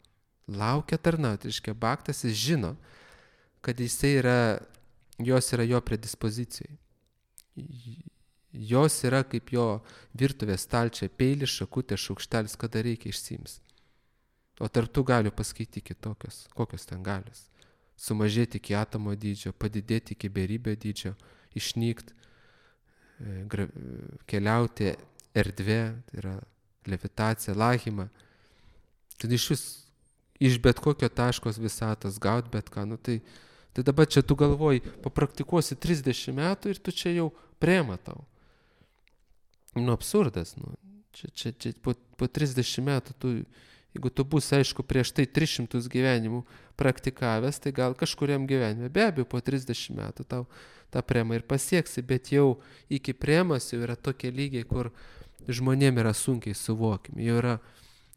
Reiškia, Bhaktas jis žino, kad jos yra jo predispozicijai. Jos yra kaip jo virtuvės stalčia, peilis, šakutė, šaukštelis, kada reikia išsiims. O tarp tų galių paskaityti kitokios. Kokios ten galios? Sumažėti iki atomo dydžio, padidėti iki beribio dydžio, išnykti, keliauti erdvė, tai yra levitacija, lahima. Kad iš bet kokio taškos visatos gaut bet ką. Tai dabar čia tu galvoji, papraktikuosi 30 metų ir tu čia jau prema tau. Absurdas. Čia po 30 metų jeigu tu būsi, aišku, prieš tai 300 gyvenimų praktikavęs, tai gal kažkuriam gyvenime, be abejo, po 30 metų tau tą premą ir pasieksi, bet jau iki premos jau yra tokie lygiai, kur žmonėm yra sunkiai suvokiami. Jau yra,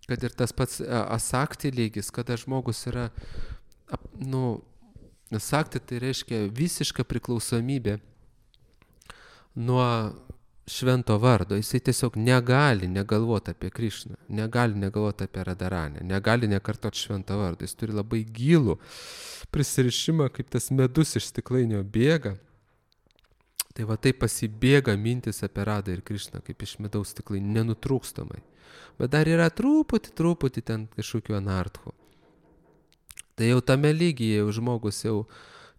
kad ir tas pats asakti lygis, kada žmogus yra, asakti tai reiškia visiška priklausomybė nuo švento vardo. Jisai tiesiog negali negalvoti apie Krišną, negali negalvoti apie Radharanę, negali nekartoti švento vardo. Jis turi labai gilų prisirišimą, kaip tas medus iš stiklainio bėga. Tai va taip pasibėga mintis apie Radą ir Krišną, kaip iš medaus stiklainio, nenutrūkstamai. Bet dar yra truputį ten kažkokių anarchų. Tai jau tame lygyje jau žmogus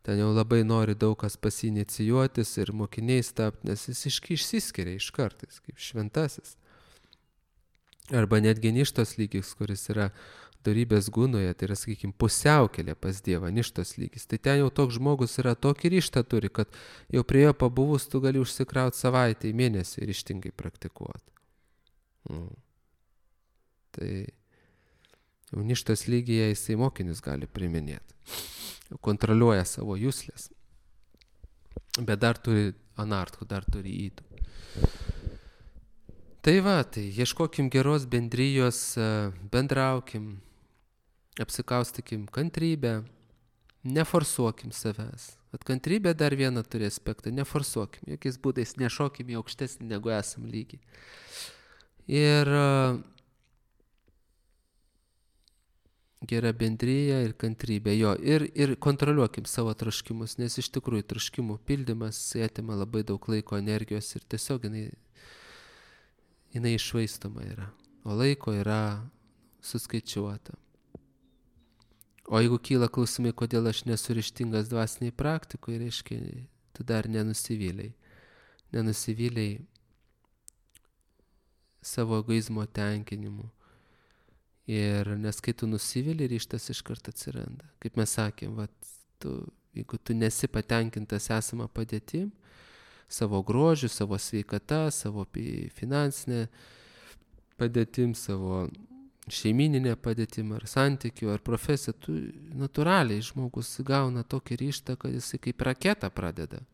ten jau labai nori daug kas pasinicijuotis ir mokiniais tapti, nes jis išsiskiria iš kartais, kaip šventasis. Arba netgi ništos lygis, kuris yra dorybės gunoje, tai yra, sakykime, pusiaukelė pas Dievą, ništos lygis. Tai ten jau toks žmogus yra tokį ryžtą turi, kad jau prie jo pabuvus tu gali užsikrauti savaitę į mėnesį ir ryžtingai praktikuoti. Tai jau ništos lygyje jisai mokinius gali priminėti. Kontroliuoja savo juslės. Bet dar turi anarchų, dar turi įdų. Tai ieškokim geros bendrijos, bendraukim, apsikaustykim kantrybę, neforsuokim savęs. Bet kantrybė dar vieną turi aspektą, neforsuokim, jokiais būdais nešokim į aukštesnį negu esam lygį. Ir gera bendryja ir kantrybė ir kontroliuokim savo troškimus, nes iš tikrųjų troškimų pildymas atima labai daug laiko, energijos ir tiesiog jinai iššvaistoma yra, o laiko yra suskaičiuota. O jeigu kyla klausimai, kodėl aš nesu ryžtingas dvasiniai praktikoje, reiškia, tu dar nenusivylei savo egoizmo tenkinimu. Ir nes kai tu nusivili, ryžtas iškart atsiranda. Kaip mes sakėm, jeigu tu nesi patenkintas esamą padėtim, savo grožiu, savo sveikata, savo finansinė padėtim, savo šeimininė padėtim ar santykių, ar profesija, tu natūraliai žmogus gauna tokį ryžtą, kad jisai kaip raketa pradeda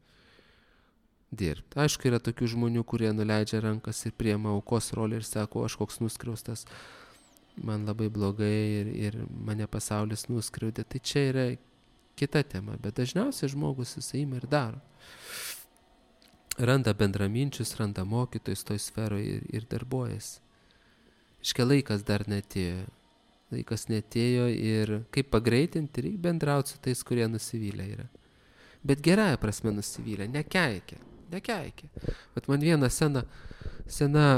dirbti. Aišku, yra tokių žmonių, kurie nuleidžia rankas ir priema aukos rolę ir sako, aš koks nuskriaustas, man labai blogai ir mane pasaulis nuskriaudė. Tai čia yra kita tema, bet dažniausiai žmogus jisai ima ir daro. Randa bendraminčius, randa mokytojus toj sferoje ir darbuojasi. Iškia laikas dar netėjo. laikas netėjo ir kaip pagreitinti, reikia bendrauti su tais, kurie nusivylę yra. Bet gerąją prasme nusivylę, nekeikia. Bet man viena sena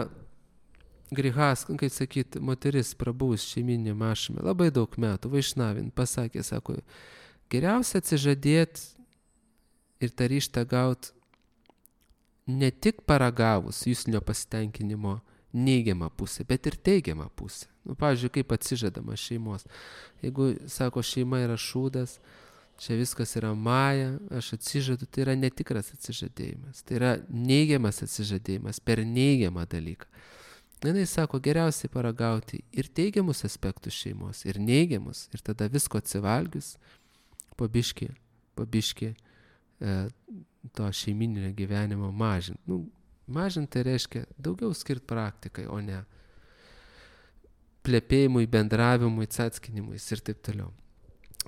grihas, kaip sakyt, moteris prabuvus šeiminė mašame, labai daug metų, vaišnavin, pasakė, sako, geriausia atsižadėti ir tą ryžtą gauti ne tik paragavus juslinio pasitenkinimo neigiamą pusę, bet ir teigiamą pusę. Pavyzdžiui, kaip atsižadama šeimos. Jeigu, sako, šeima yra šūdas, čia viskas yra maja, aš atsižadu, tai yra netikras atsižadėjimas. Tai yra neigiamas atsižadėjimas per neigiamą dalyką. Jis sako, geriausiai paragauti ir teigiamus aspektus šeimos, ir neigiamus, ir tada visko atsivalgius, po biškį to šeiminio gyvenimo mažinti. Mažinti tai reiškia daugiau skirti praktikai, o ne plepėjimui, bendravimui, cackinimui ir taip toliau.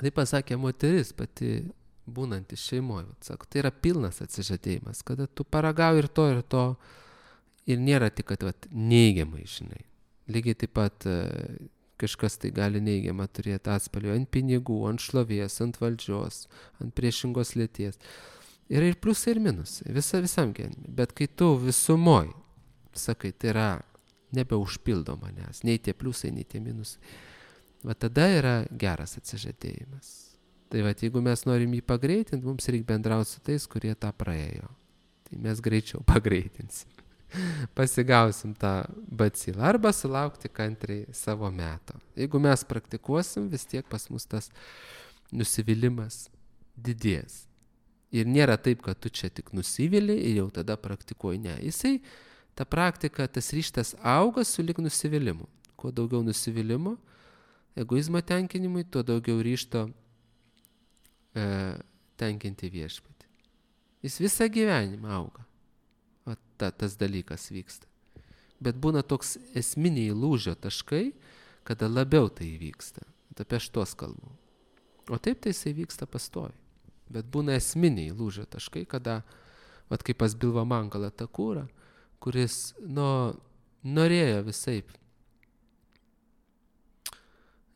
Tai pasakė moteris pati būnantis šeimoje. Sako, tai yra pilnas atsižadėjimas, kada tu paragauji ir to, ir nėra tik, kad neigiamai, žinai. Lygiai taip pat kažkas tai gali neigiamą turėti atspalvį ant pinigų, ant šlovės, ant valdžios, ant priešingos lėties. Yra ir pliusai, ir minusai, visam gyvenime. Bet kai tu visumoj, sakai, tai yra nebeužpildo manęs, nei tie pliusai, nei tie minusai, va tada yra geras atsižadėjimas. Tai va, jeigu mes norim jį pagreitinti, mums reikia bendrauti su tais, kurie tą praėjo. Tai mes greičiau pagreitinsim. Pasigausim tą bacilą arba sulaukti kantriai savo meto. Jeigu mes praktikuosim, vis tiek pas mus tas nusivylimas didės. Ir nėra taip, kad tu čia tik nusivili ir jau tada praktikuoji. Ne, jisai, ta praktika, tas ryžtas auga sulig nusivylimu. Kuo daugiau nusivylimų, egoizmo tenkinimui, tuo daugiau ryžto tenkinti viešpatį. Jis visą gyvenimą auga. O tas dalykas vyksta. Bet būna toks esminiai lūžio taškai, kada labiau tai vyksta. Apie šitos kalbų. O taip tai jisai vyksta pastoviai. Bet būna esminiai lūžio taškai, kada, vat kaip pas Bilva Mangala Takūra, kuris norėjo visaip,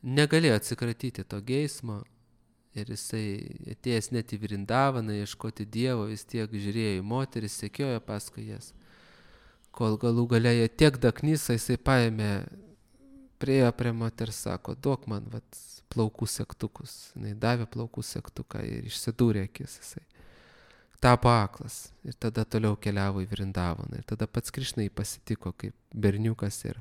negalėjo atsikratyti to geismo ir jisai atėjęs net į Vrindavaną ieškoti Dievo, vis tiek žiūrėjo į moteris, sekiojo paskui jas. Kol galų galėjo tiek daknysa, jisai paėmė, priėjo prie moters, sako, duok man plaukų segtukus. Jis davė plaukų segtuką ir išsidūrė akis jisai. Tapo aklas ir tada toliau keliavo į Vrindavaną. Ir tada pats Krišna jį pasitiko kaip berniukas ir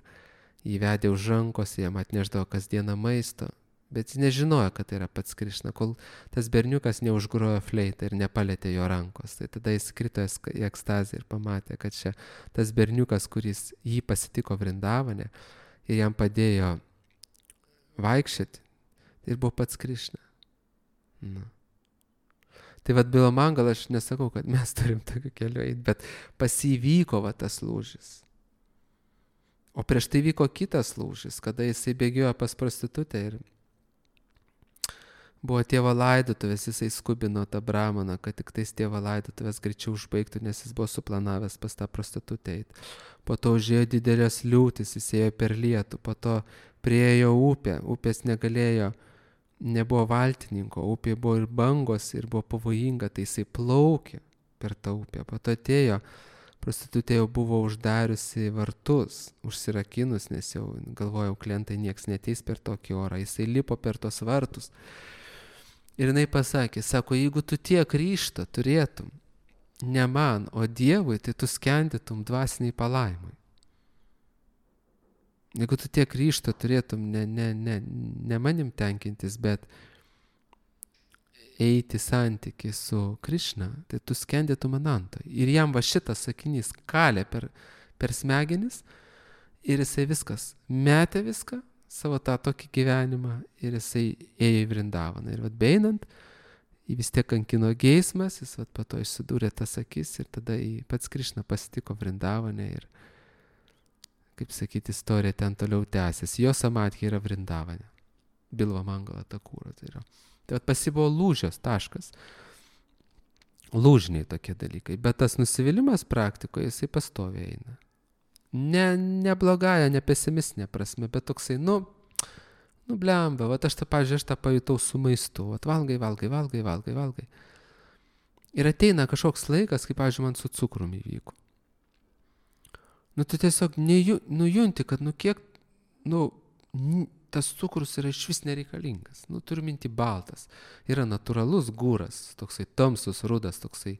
jį vedė už rankos, jam atneždavo kasdieną maisto. Bet jis nežinojo, kad tai yra pats Krišna, kol tas berniukas neužgrojo fleitą ir nepalėtė jo rankos. Tai tada jis krito į ekstazę ir pamatė, kad čia tas berniukas, kuris jį pasitiko Vrindavane ir jam padėjo vaikščioti, ir buvo pats Krišna. Tai Bilva Mangala, aš nesakau, kad mes turim tokiu keliu eiti, bet pasivyko tas lūžis. O prieš tai vyko kitas lūžis, kada jisai bėgiojo pas prostitutę ir buvo tėvo laidotuvės, jisai skubino tą brahmaną, kad tik tais tėvo laidotuvės greičiau užbaigtų, nes jis buvo suplanavęs pas tą prostitutę eiti. Po to užėjo didelės liūtis, jis ėjo per lietų, po to priėjo upė, upės nebuvo valtininko, upė buvo ir bangos ir buvo pavojinga, tai jisai plaukė per tą upę. Po to atėjo, prostitutė jau buvo uždariusi vartus, užsirakinus, nes jau galvojau, klientai nieks neteis per tokį orą, jisai lipo per tos vartus. Ir jinai pasakė, sako, jeigu tu tiek ryžto turėtum, ne man, o Dievui, tai tu skendytum dvasiniai palaimai. Jeigu tu tiek ryžto turėtum ne manim tenkintis, bet eiti santykį su Krišna, tai tu skendytum anantoj. Ir jam šitas sakinys kalė per smegenis ir jisai viskas, metė viską, savo tą tokį gyvenimą ir jisai ėjo į Vrindavaną. Ir beinant, jį vis tiek kankino geismas, jis po to išsidūrė tas akis ir tada pats Krišna pasitiko Vrindavane ir kaip sakyti, istorija ten toliau tęsiasi. Jo samadhi yra Vrindavane. Bilva Mangala Takūra tai yra. Tai pas jį buvo lūžios taškas. Lūžiniai tokie dalykai. Bet tas nusivylimas praktikoje, jisai pastoviai eina. Ne blogąją, ne pesimistinė prasme, bet toksai, Nu, blemba, aš tą pajutau su maistu. Valgai. Ir ateina kažkoks laikas, kaip, pavyzdžiui, man su cukrumi įvyko. Nu, tu tiesiog nujunti, kad, kiek, tas cukrus yra iš vis nereikalingas. Turiu minti baltas. Yra natūralus gūras, toksai tamsus, rudas, toksai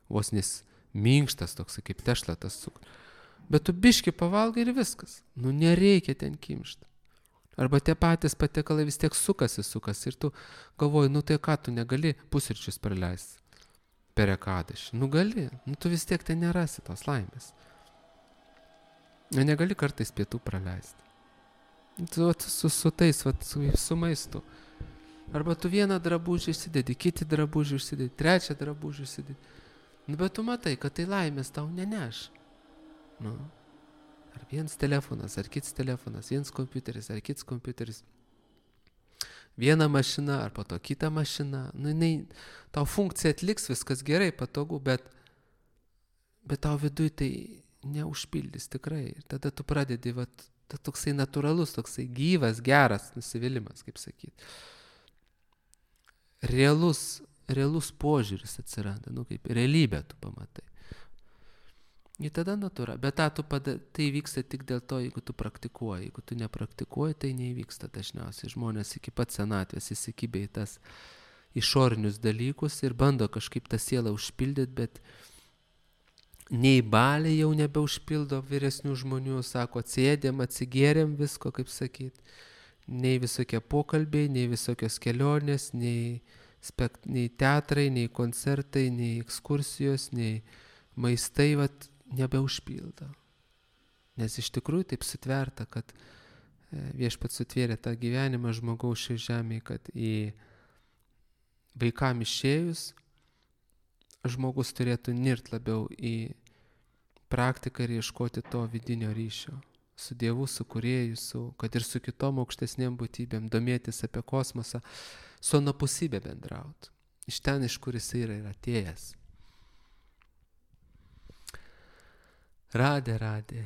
vos nes minkštas, toksai kaip tešla tas cukrus. Bet tu biški pavalgai ir viskas. Nereikia ten kimšti. Arba tie patys patiekalai vis tiek sukasi. Ir tu galvoji, tai ką, tu negali pusryčius praleisti per ekadašį. Gali. Tu vis tiek ten nerasi tos laimės. Negali kartais pietų praleisti. Su tais, su maistu. Arba tu vieną drabužį įsidedi, kiti drabužį įsidedi, trečią drabužį įsidedi. Bet tu matai, kad tai laimės tau neneš. Ar vienas telefonas, ar kits telefonas, vienas kompiuteris, ar kits kompiuteris. Viena mašina, ar po to kita mašina. Tau funkcija atliks, viskas gerai, patogu, bet tau viduj tai neužpildys tikrai. Ir tada tu pradedi, toksai natūralus, toksai gyvas, geras nusivylimas, kaip sakyti. Realus požiūris atsiranda, kaip realybę tu pamatai. Ir tada natūra. Bet tai vyksta tik dėl to, jeigu tu praktikuoji. Jeigu tu nepraktikuoji, tai neįvyksta dažniausiai. Žmonės iki pat senatvės įsikibė į tas išorinius dalykus ir bando kažkaip tą sielą užpildyti, bet nei baliai jau nebeužpildo vyresnių žmonių, sako, atsėdėm, atsigėrėm visko, kaip sakyti. Nei visokie pokalbiai, nei visokios kelionės, nei teatrai, nei koncertai, nei ekskursijos, nei maistai, nebeužpildo. Nes iš tikrųjų taip sutverta, kad viešpats sutvėrė tą gyvenimą žmogaus šioje žemėje, kad į vaikam išėjus žmogus turėtų nirt labiau į praktiką ir ieškoti to vidinio ryšio su Dievu, su Kūrėju, kad ir su kitom aukštesnėm būtybėm, domėtis apie kosmosą, su anapusybė bendrauti. Iš ten, iš kur jis yra atėjęs. Radė.